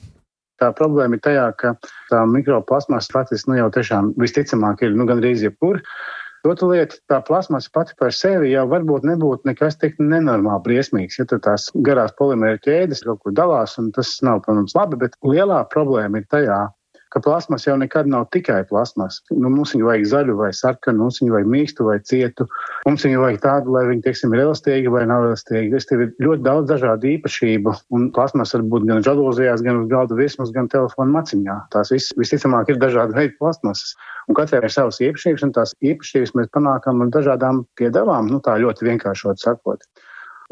Tā problēma ir tajā, ka tā mikroplasmasa faktiski nu jau tiešām visticamāk ir nu gandrīz jebkur. Otra lieta, tā plasmasa pati par sevi jau varbūt nebūtu nekas tik nenormāli briesmīgs, ja tur tās garās polimēra ķēdes kaut kur dalās, un tas nav, protams, labi, bet lielā problēma ir tajā, ka plasmas jau nekad nav tikai plasmas. Nu, mums viņu vajag zaļu vai sarkanu, mums viņu vajag mīkstu vai cietu, mums viņu vajag tādu, lai viņi, teiksim, ir elastīgi vai nav elastīgi. Es tev ir ļoti daudz dažādu īpašību, un plasmas var būt gan žalūzijās, gan uz galda virsmas, gan telefona maciņā. Tās vis, visticamāk ir dažādi veidi plasmasas. Un katrai ir savas īpašības, un tās īpašības mēs panākam ar dažādām piedevām, nu tā ļoti vienkāršot sakot.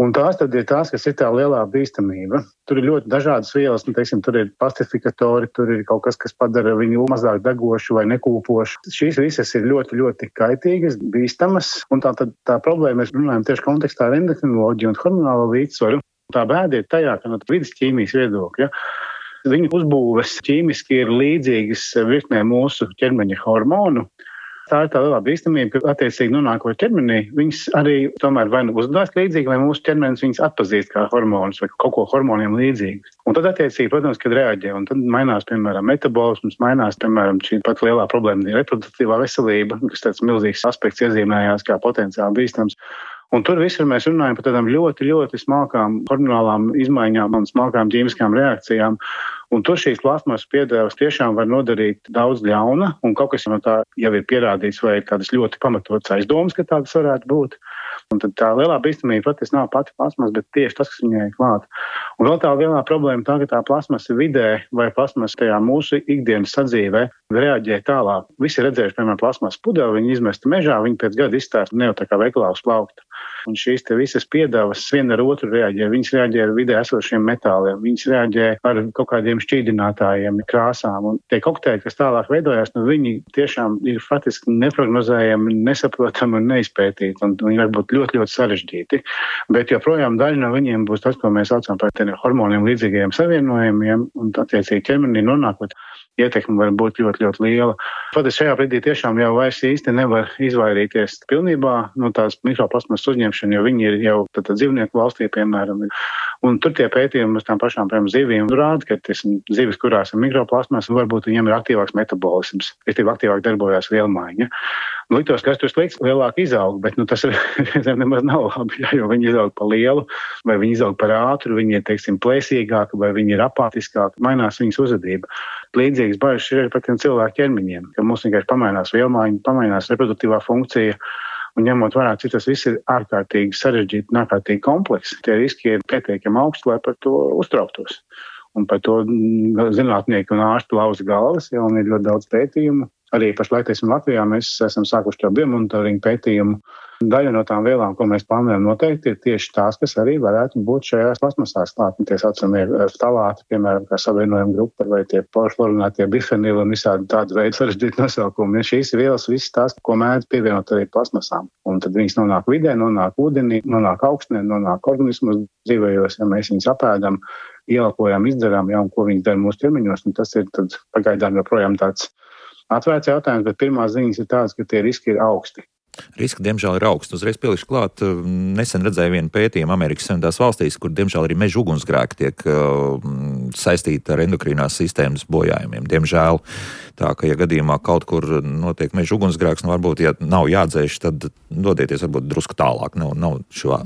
Un tās tad ir tās, kas ir tā lielā bīstamība. Tur ir ļoti dažādas vielas, nu, teiksim, tur ir plastifikatori, tur ir kaut kas, kas padara viņu mazāk degošu vai nekūpošu. Šīs visas ir ļoti, ļoti kaitīgas, bīstamas, un tā, tad, tā problēma, mēs runājam tieši kontekstā ar endokrinoloģiju un hormonālo līdzsvaru. Tā bēda ir tajā, ka no vidas ķīmijas viedokļa, viņu uzbūves ķīmiski ir līdzīgas virknē mūsu ķermeņa hormonu. Tā ir tā lielā bīstamība, ka attiecīgi nonākot ķermenī, viņas arī tomēr vai nu uzvedās līdzīgi, vai mūsu ķermenis viņas atpazīst kā hormonus vai kaut ko hormoniem līdzīgu. Un tad attiecīgi, protams, kad reaģē, un tad mainās, piemēram, metabolisms, mainās, piemēram, šī pat lielā problēma ir reproduktīvā veselība, kas tāds milzīgs aspekts iezīmējās kā potenciāli bīstams. Un tur visur mēs runājam par tādām ļoti, ļoti smalkām hormonālām izmaiņām un smalkām ķīmiskām reakcijām. Un tur šīs plasmasas piedevas tiešām var nodarīt daudz ļauna, un kaut kas no tā jau ir pierādīts vai ir kādas ļoti pamatotas aizdomas, ka tādas varētu būt. Un tad tā lielā bīstamība patiesi nav pati plasmasa, bet tieši tas, kas viņai ir klāt. Un vēl tā lielā problēma tā, ka tā plasmasa vidē vai plasmasa tajā mūsu ikdienas sadzīvē reaģē tālāk. Visi redzējuši, piemēram, plasmasas pudeli, viņi izmesta mežā, viņi pēc gada izstāsta ne jau tā kā veikalā uz plaukta. Un šīs te visas piedevas viena ar otru reaģē. Viņas reaģē ar vidē esošiem metāliem, viņas reaģē ar kaut kādiem šķīdinātājiem, krāsām. Un tie kokteļi, kas tālāk veidojās, nu viņi tiešām ir faktiski neprognozējami, nesaprotami un neizpētīti. Un viņi var būt ļoti, ļoti sarežģīti. Bet joprojām daļa no viņiem būs tas, ko mēs saucam par tiem hormoniem līdzīgajiem savienojumiem, un attiecīgi ķermenī nonākot. Ietekme var būt ļoti, ļoti liela. Pat šajā brīdī tiešām jau vairs īsti nevar izvairīties pilnībā no tās mikroplasmas uzņemšanu, jo viņi ir jau tad, tad dzīvnieku valstī, piemēram. Un tur tie pētījumi uz tām pašām, piemēram, zivīm rāda, ka tas zivis, kurās ir mikroplasmas, varbūt viņiem ir aktīvāks metabolisms, respektīvi aktīvāk darbojās vielmaiņa. Nu, liktos, kas tur slikts, lielāk izaug, bet nu, tas ir, nemaz nav labi, jā, jo viņi izaug pa lielu, vai viņi izaug par ātru, viņi ir, teiksim, plēsīgāki, vai viņi ir apātiskāki, mainās viņas uzvedība. Līdzīgas bažas ir par tiem cilvēku ķermeņiem, ka mums vienkārši pamainās vielmaiņa, pamainās reproduktīvā funkcija, un ņemot vērā, cik tas viss ir ārkārtīgi sarežģīti un ārkārtīgi kompleks, tie riski ir pietiekami augsti, lai par to uztrauktos. Un par to zinātnieki un ārsti lauza galvas, ja, un ir ļoti daudz pētījumu. Arī pašlaik, teiksim, Latvijā mēs esam sākuši to biomonitoringu pētījumu. Daļa no tām vielām, ko mēs plānojam noteikti, ir tieši tās, kas arī varētu būt šajās plasmasās klāt. Tie saucamie ftalāti, piemēram, kā savienojuma grupa, vai tie porfluorinātie bifenili un visādi tādi veidi sarežģīti nosaukumi. Ja šīs vielas visas tās, ko mēdz pievienot arī plasmasām. Un tad viņas nonāk vidē, nonāk ūdenī, nonāk augstnē, nonāk organismos dzīvējos, ja mēs viņus apēdam, ielpojam, izdzeram, ja, un ko viņas dara mūsu ķermeņos. Un tas ir tad pagaidām joprojām tāds atvērts jautājums, bet pirmās ziņas ir tādas, ka tie riski ir augsti. Riski, diemžēl, ir augsts. Uzreiz pielikšu klāt, nesen redzēju vienu pētījumu Amerikas Savienotās valstīs, kur, diemžēl, arī meža ugunsgrēki tiek uh, saistīti ar endokrīnās sistēmas bojājumiem. Diemžēl, tā ka, ja gadījumā kaut kur notiek meža ugunsgrēks, nu, varbūt, ja nav jādzēš, tad dodieties varbūt drusku tālāk, nav, nav šo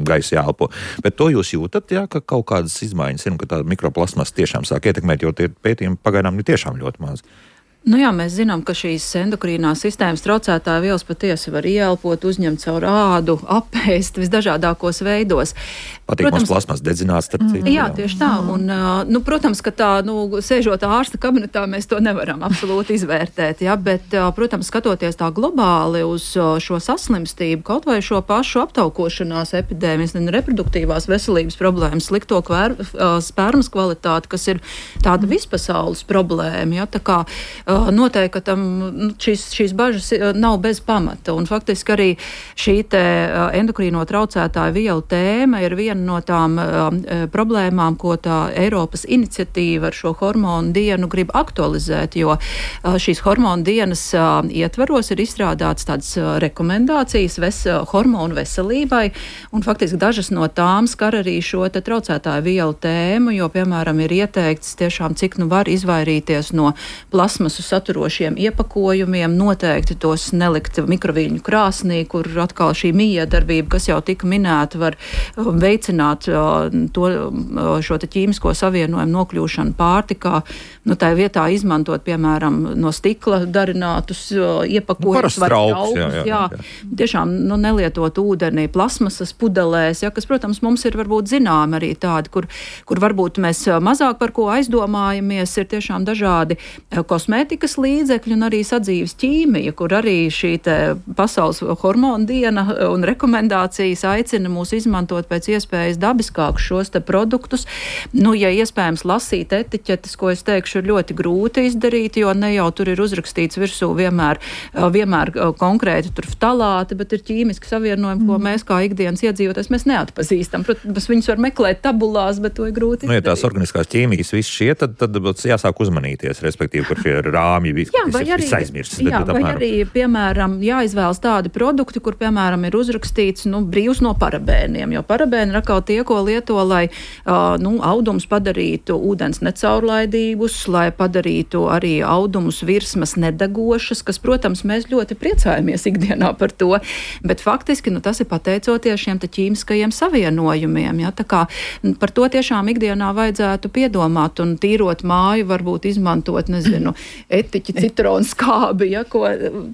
gaisu jāelpo. Bet to jūs jūtat, jā, ka kaut kādas izmaiņas ir un ka tā mikroplasmas tiešām sāk ietekmēt, jo tie pētījumi pagaidām ir tiešām ļoti mazi. Nu jā, mēs zinām, ka šīs endokrīnās sistēmas traucētāja vielas patiesi var ieelpot, uzņemt caur ādu, apēst visdažādākos veidos. Patīk mums plasmas dedzināts, starp citu. Jā, tieši tā. Un, nu, protams, ka tā, nu, sēžot ārsta kabinetā, mēs to nevaram absolūti izvērtēt, jā, bet, protams, skatoties tā globāli uz šo saslimstību, kaut vai šo pašu aptaukošanās epidēmijas un reproduktīvās veselības problēmas, slikto kvēr, spermas kvalitāti, kas ir tāda vispasaules problēma, jā, tā kā noteikti, ka tam šīs, šīs bažas nav bez pamata. Un faktiski arī šī te endokrīno traucētāju vielu tēma ir viena no tām uh, problēmām, ko tā Eiropas iniciatīva ar šo hormonu dienu grib aktualizēt, jo uh, šīs hormonu dienas uh, ietvaros ir izstrādāts tādas uh, rekomendācijas ves, uh, hormonu veselībai, un faktiski dažas no tām skar arī šo te traucētāju vielu tēmu, jo, piemēram, ir ieteikts tiešām, cik nu var izvairīties no plasmas saturošiem iepakojumiem, noteikti tos nelikt mikroviļņu krāsnī, kur atkal šī miedarbība, kas jau tika minēta, var veicināt to, šo te ķīmisko savienojumu nokļūšanu pārtikā. Nu, tā vietā izmantot, piemēram, no stikla darinātus iepakojumus. Nu, trauks, jā, jā, jā, jā. Tiešām nu, nelietot ūdeni plasmasas pudelēs, ja, kas, protams, mums ir varbūt zinām arī tādi, kur, kur varbūt mēs mazāk par ko aizdomājamies, ir tiešām dažādi kosmētikas līdzekļi un arī sadzīves ķīmija, kur arī šī te pasaules hormonu diena un rekomendācijas aicina mūs izmantot pēc iespējas dabiskākus šos te produktus. Nu, ja iespējams lasīt etiķetes, ko es teikšu, ir ļoti grūti izdarīt, jo ne jau tur ir uzrakstīts virsū vienmēr, vienmēr konkrēti tur ftalāti, bet ir ķīmiski savienojumi, mm. ko mēs kā ikdienas iedzīvotājs mēs neatpazīstam. Protams, viņus var meklēt tabulās, bet to ir grūti izdarīt. Nu, ja tās organiskās ķīmijas viss šie, tad, tad jāsāk uzmanīties, respektīvi, kur šie rāmji viss aizmirsts. Jā, bet, vai arī, piemēram, jāizvēlas tādi produkti, kur, piemēram, ir uzrakstīts, nu, brīvs no parabēniem, jo parabēni ir atkal tie, ko lieto, lai, uh, nu, audumus padarītu ūdens necaurlaidīgus, lai padarītu arī audumus virsmas nedegošas, kas, protams, mēs ļoti priecājamies ikdienā par to, bet faktiski, nu, tas ir pateicoties šiem te ķīmiskajiem savienojumiem, ja, tā kā par to tiešām ikdienā vajadzētu piedomāt un tīrot māju, varbūt izmantot, nezinu, etiķi, citronu skābi, ja, ko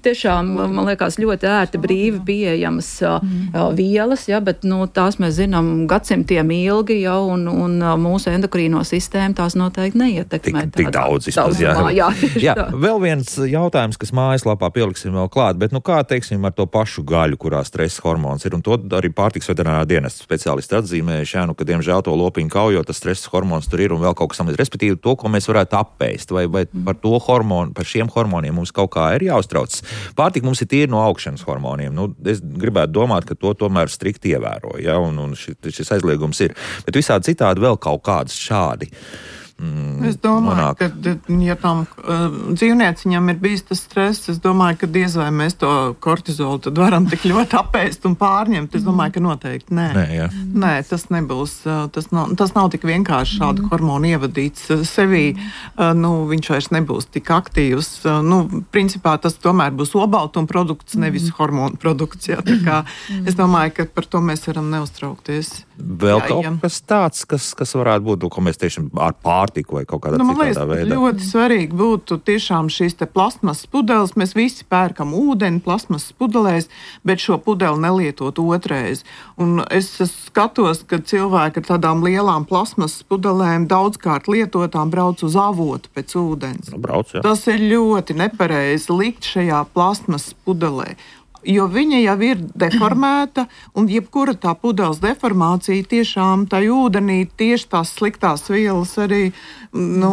tiešām, man liekas, ļoti ērti brīvi pieejamas mm. vielas, ja, bet, nu, tās mēs zinām gadsimtiem ilgi, ja, un, un mūsu endokrīno sistēmu tās noteikti neietekmē. Tik, tik daudz izpaz, jā. Jā, jā, vēl viens jautājums, kas mājaslapā pieliksim vēl klāt, bet, nu, kā, teiksim, ar to pašu gaļu, kurā stresa hormons ir, un to arī pārtiks veterinārā dienesta speciālisti atzīmējuši, jā, nu, ka, diemžēl, to lopiņu kaujot, tas stresa hormons tur ir un vēl kaut kas samaz, respektīvi to, ko mēs varētu apēst, vai, vai par to hormonu, par šiem hormoniem mums kaut kā ir jāuztrauc. Pārtika mums ir tīri no augšanas hormoniem. Nu, es gribētu domāt, ka to tomēr strikti ievēro, ja, un, un šis, šis aizliegums ir. Bet visādi citādi vēl kaut kādas šādi mm, Es domāju, nonāk. ka, ja tam uh, dzīvnieciņam ir bijis tas stress, es domāju, ka diez vai mēs to kortizolu tad varam tik ļoti apēst un pārņemt. Es domāju, ka noteikti nē. Nē, jā. Nē, tas nebūs, uh, tas nav, tas nav tik vienkārši šādu hormonu ievadīts uh, sevī. Uh, nu, viņš vairs nebūs tik aktīvs. Uh, nu, principā tas tomēr būs obaltuma produkts, nevis hormonu produkts. Jā, tā kā es domāju, ka par to mēs varam neuztraukties. Vēl Jā, kaut jā. kas tāds, kas, kas varētu būt, ko mēs tiešām ar pārtiku vai kaut kādā Nu, man citādā liekas, veidā. ļoti svarīgi būtu tiešām šīs te plasmasas pudeles. Mēs visi pērkam ūdeni plasmasas pudelēs, bet šo pudeli nelietot otrais. Un es skatos, ka cilvēki ar tādām lielām plasmasas pudelēm daudzkārt lietotām brauc uz avotu pēc ūdens. Nu, brauc, jā. Tas ir ļoti nepareizi likt šajā plasmasas pudelē. Jo viņa jau ir deformēta, un jebkura tā pudeles deformācija tiešām tā ūdenī tieši tās sliktās vielas arī, nu,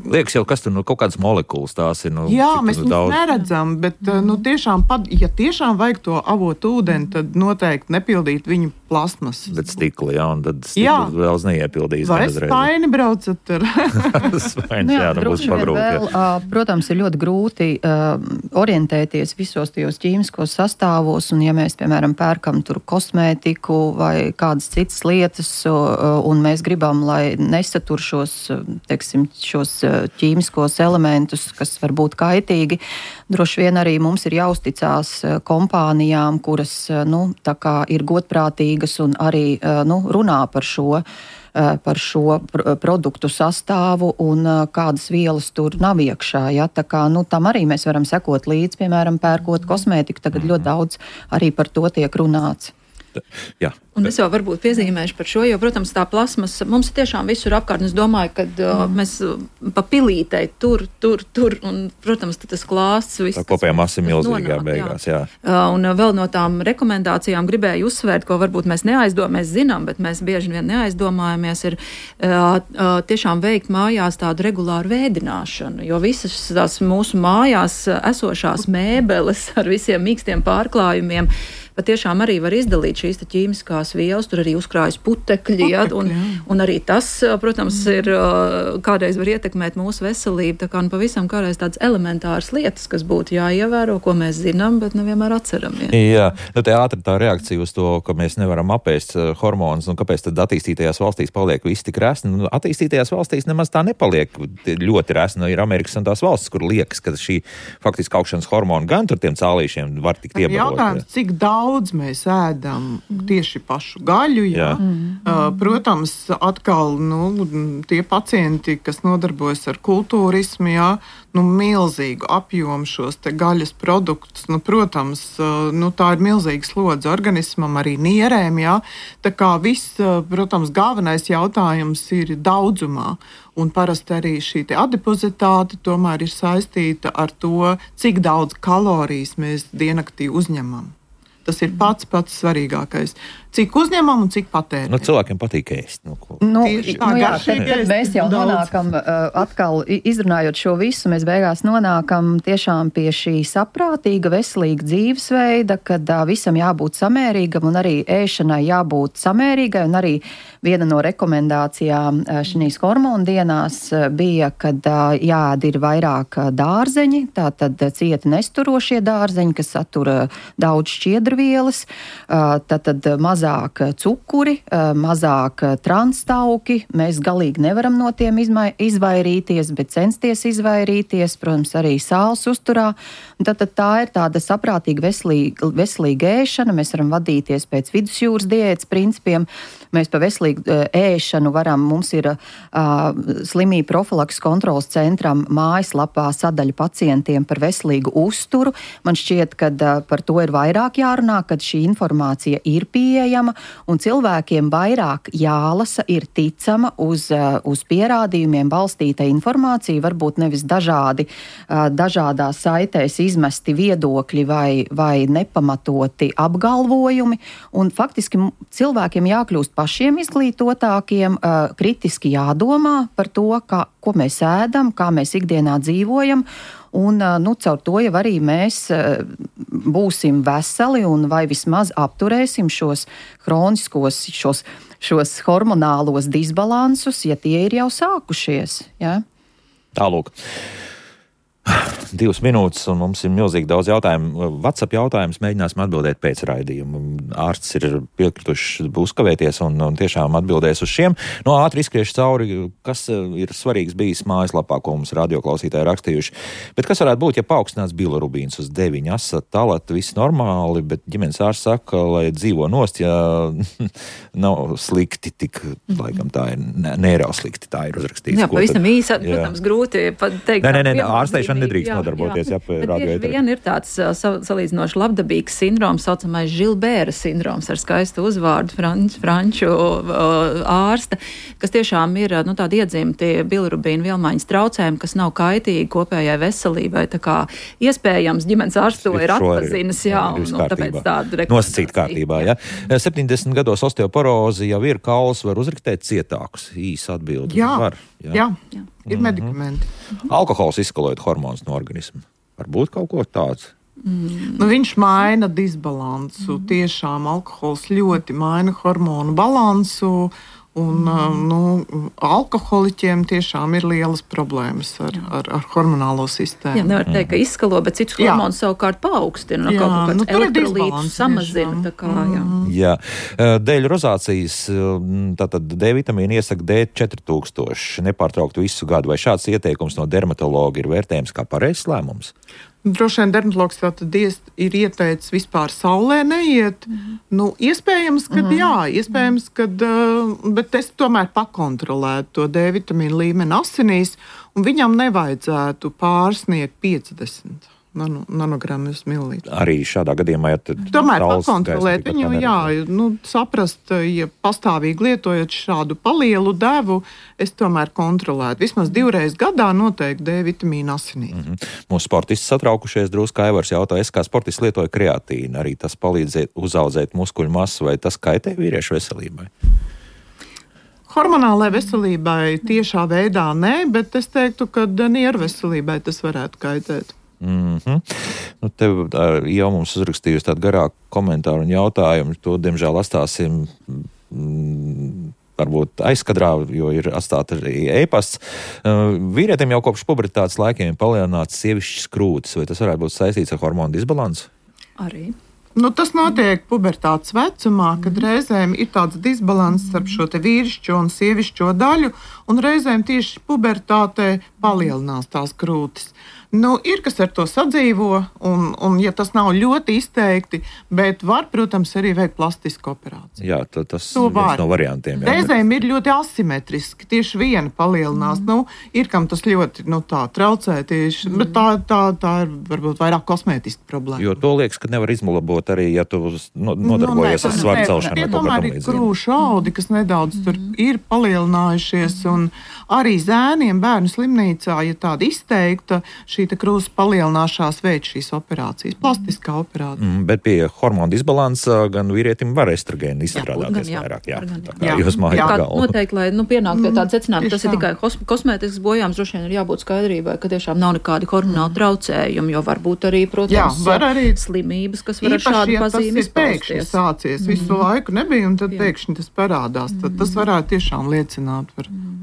Liekas jau, kas tur nu, kaut kādas molekulas tās ir. Nu, jā, cik mēs tur viņus daudz. neredzam, bet, nu, tiešām, pat, ja tiešām vajag to avotu ūdeni, tad noteikti nepildīt viņu plasmasas. Bet stikli, jā, un tad Jā. stikli vēl neiepildīs. Vai spaini braucat ar? Spains, Nu jā, nu būs droši vien pabrūk. vēl, ā, protams, ir ļoti grūti uh, orientēties visos tajos ķīmiskos sastāvos, un ja mēs, piemēram, pērkam tur kosmētiku vai kādas citas lietas, uh, un mēs gribam, lai nesatur šos, teiksim, šos ķīmiskos elementus, kas var būt kaitīgi, droši vien arī mums ir jāuzticās kompānijām, kuras, nu, tā kā ir godprātīgas un arī, nu, runā par šo par šo produktu sastāvu un kādas vielas tur nav iekšā. Ja? Tā kā, nu, tam arī mēs varam sekot līdz, piemēram, pērkot kosmētiku. Tagad ļoti daudz arī par to tiek runāts. Jā. Un es jau varbūt piezīmēšu par šo, jo, protams, tā plasmas mums ir tiešām visur apkārt. Es domāju, ka uh, mēs pa pilītei tur, tur, tur, un, protams, tas klāsts viss. Tā kopējā masa ir milzīgā beigās, jā. jā. Uh, un uh, vēl no tām rekomendācijām gribēju uzsvērt, ko varbūt mēs neaizdomājamies, mēs zinām, bet mēs bieži vien neaizdomājamies, ir uh, uh, tiešām veikt mājās tādu regulāru vēdināšanu, jo visas tās mūsu mājās esošās mēbeles ar visiem mīkstiem pārklājumiem patiešām arī var izdalīt šīs ķīmiskās vielas, tur arī uzkrājas putekļi, ja, un, un arī tas, protams, ir kādreiz var ietekmēt mūsu veselību, tā kā nu pavisam kādreiz tādas elementāras lietas, kas būtu jāievēro, ko mēs zinām, bet nevienmēr atceramies. Jā, nu te ātri tā reakcija uz to, ka mēs nevaram apēst hormonus, un kāpēc tad attīstītajās valstīs paliek viss tik resni. Nu, attīstītajās valstīs nemaz tā nepaliek ļoti resni. Nu, ir Amerikas un tās valstis, kur liekas, ka šī faktiski augšanas hormona gan tur tiem cālīšiem var tikt iebarot. Jautājums, cik daudz mēs ēdam tieši pašu gaļu, jā. jā. Uh, protams, atkal, nu, tie pacienti, kas nodarbojas ar kultūrismu, jā, nu, milzīgu apjomu šos te gaļas produktus, nu, protams, uh, nu, tā ir milzīga slodze organismam, arī nierēm, jā. Tā kā viss, uh, protams, galvenais jautājums ir daudzumā. Un parasti arī šī adipozitāte tomēr ir saistīta ar to, cik daudz kalorijas mēs diennaktī uzņemam. Tas ir pats pats svarīgākais. Cik uzņemam un cik patērējam. Nu, cilvēkiem patīk ēst. Nu, nu, Tieši tā, nu, jā, garšīgi tad, ēst mēs jau daudz. nonākam, uh, atkal izrunājot šo visu, mēs beigās nonākam tiešām pie šī saprātīga, veselīga dzīvesveida, kad uh, visam jābūt samērīgam un arī ēšanai jābūt samērīgai. Un arī viena no rekomendācijām uh, šīs hormonu dienās uh, bija, kad uh, jāēd ir vairāk uh, dārzeņi, tātad uh, cieti nesturošie dārzeņi, kas satura daudz šķiedrvielas, uh, tātad uh, mazāk cukuri, mazāk transtauki. Mēs galīgi nevaram no tiem izmai, izvairīties, bet censties izvairīties, protams, arī sāls uzturā. Tad, tad tā ir tāda saprātīga veselīga, veselīga ēšana. Mēs varam vadīties pēc vidusjūras diētas principiem. Mēs pa veselīgu ēšanu varam, mums ir uh, slimību profilaks kontrolas centram mājaslapā sadaļa pacientiem par veselīgu uzturu. Man šķiet, ka uh, par to ir vairāk jārunā, kad šī informācija ir pieejama, un cilvēkiem vairāk jālasa, ir ticama uz, uz pierādījumiem balstīta informācija, varbūt nevis dažādi, dažādās saitēs izmesti viedokļi vai, vai nepamatoti apgalvojumi, un faktiski cilvēkiem jākļūst pašiem izglītotākiem, kritiski jādomā par to, kā, ko mēs ēdam, kā mēs ikdienā dzīvojam, un nu, caur to jau arī mēs būsim veseli un vai vismaz apturēsim šos hroniskos, šos šos hormonālos disbalansus, ja tie ir jau sākušies. Ja? Tālūk. Divas minūtes, un mums ir milzīgi daudz jautājumu. WhatsApp jautājumus mēģināsim atbildēt pēc raidījuma. Ārsts ir piekrituši uzkavēties un, un tiešām atbildēs uz šiem. No ātri izskriešu cauri, kas ir svarīgs bijis mājaslapā, ko mums radioklausītāji rakstījuši. Bet kas varētu būt, ja paaugstināts bilirubīns uz deviņi, asat, talat, viss normāli, bet ģimenes ārsts saka, lai dzīvo nost, ja nav slikti, tik, laikam tā ir, neirau slikti, tā ir uzrakstīts. Jā, pavisam īsi, protams, grūti teikt. Nē, nē, nē, ārsteišana nedrīkst jā, nodarboties, jā, jā radio ēterī. Vien ir tāds uh, salīdzinoši labdabīgs sindroms, saucamais Žilbēra sindroms ar skaistu uzvārdu franč, franču uh, ārsta, kas tiešām ir nu, tādi iedzimti bilirubīnu vielmaiņas traucējumi, kas nav kaitīgi kopējai veselībai. Tā kā iespējams ģimenes ārsts to ir atpazinis, jā, un, un tāpēc tādu rekomendāciju. Nosacīt kārtībā, jā. septiņdesmit gados osteoporozi jau ir, kauls var uzriktēt cietākus, īsi atbildi. Jā, var, jā. jā, jā. Ir mm-hmm. medikamenti. Alkohols izskalojot hormonus no organismu. Varbūt kaut ko tāds. Mm. Nu, viņš maina disbalansu. Mm. Tiešām alkohols ļoti maina hormonu balansu. Un, mm. nu, alkoholiķiem tiešām ir lielas problēmas ar, ar, ar hormonālo sistēmu. Jā, nevar teikt, ka izskalo, bet citus hormonus savukārt paaugstina. Jā, kaut kāds nu, elektrolītus samazina. Tā kā, jā. Jā. Dēļ rozācijas, tātad D vitamīna iesaka D četri tūkstoši, nepārtraukt visu gadu. Vai šāds ieteikums no dermatologa ir vērtējums kā pareizs lēmums? Droši vien dermatologs tātad ir ieteicis vispār saulē neiet. Mm. Nu, iespējams, ka mm. jā, iespējams, ka, bet es tomēr pakontrolētu to D vitamīnu līmeni asinīs, un viņam nevajadzētu pārsniegt piecdesmit nanogramu uz mililitru. Arī šādā gadījumā, ja tomēr pakontrolēt viņu, jā, nu, saprast, ja pastāvīgi lietojot šādu palielu devu, es tomēr kontrolētu. Vismaz divreiz gadā noteikti D vitamīnu asinīs. Mm-hmm. Mūsu sportisti satraukušies drusku. Aivars jautā, es kā sportists lietoju kreatīnu, arī tas palīdz uzaudzēt muskuļu masu, vai tas kaitē vīriešu veselībai? Hormonālai veselībai tiešā veidā nē, bet es teiktu, ka nieru veselībai tas varētu kaitēt. Mm-hmm. Nu, tev jau mums uzrakstījusi tādu garāku komentāru un jautājumu. To, diemžēl, atstāsim mm, varbūt aizkadrā, jo ir atstāta arī e-pasts. Uh, vīrietim jau kopš pubertātes laikiem palielināts sievišķas krūtis. Vai tas varētu būt saistīts ar hormonu disbalansu? Arī. Nu, tas notiek pubertātes vecumā, kad reizēm ir tāds disbalans starp šo te vīrišķo un sievišķo daļu, un reizēm tieši pubertātē palielinās tās krūtis. Nu, ir, kas ar to sadzīvo, un, un ja tas nav ļoti izteikti, bet var, protams, arī veikt plastisku operāciju. Jā, tas ir viens no variantiem. Jā, reizēm bet... ir ļoti asimetriski, tieši viena palielinās. Mm. Nu, ir, kam tas ļoti nu, tā traucē tieši, mm. bet tā, tā, tā ir varbūt vairāk kosmētiska problēma. Jo to liekas, ka nevar izlabot arī, ja tu no, nodarbojies nu, ar svaru celšanu. Tie tomēr ir krūšu audi, kas nedaudz mm. tur ir palielinājušies, un arī zēniem bērnu slimnīcā, ja tāda izteikta, šī krūzes palielināšanās veids šīs operācijas, plastiskā operācija. Mm, bet pie hormonu disbalansa gan vīrietim var estrogēni izstrādāties jā, vairāk. Jā, gan, tā kā jā. Jūs mājat galvu. Noteikti, lai nu, pienākt pie tāda secinājuma, tas ir tikai kosmētisks bojājums, droši vien ir jābūt skaidrībai, ka tiešām nav nekādi hormonāli traucējumi, jo varbūt arī, protams, jā, var arī slimības, kas var ar šādu pazīmi izpausties. Sācies visu mm. laiku nebija, un tad jā. Pēkšņi tas parādās. Tad tas varētu tiešām liecināt par... Mm.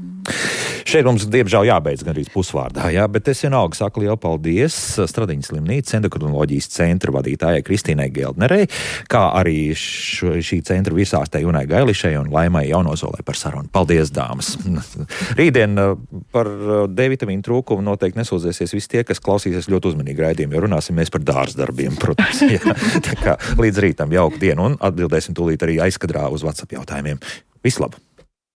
Šeit mums, diemžēl, jābeidz gan arī pusvārdā, jā, bet es vienalga saku lielu paldies Stradiņas slimnīcas endokrinoloģijas centra vadītājai Kristīnai Geldnerei, kā arī š, šī centra virsārstei Junai Gailišai un Laimai Jaunozolai par sarunu. Paldies, dāmas! Rītdien par D vitamīnu trūkumu noteikti nesūdzēsies visi tie, kas klausīsies ļoti uzmanīgi raidījumu, jo runāsim mēs par dārzdarbiem, protams. Jā. Tā kā līdz rītam jauku dienu un atbildēsim tūlīt arī aizkadrā uz WhatsApp jautājumiem. Vislabāk!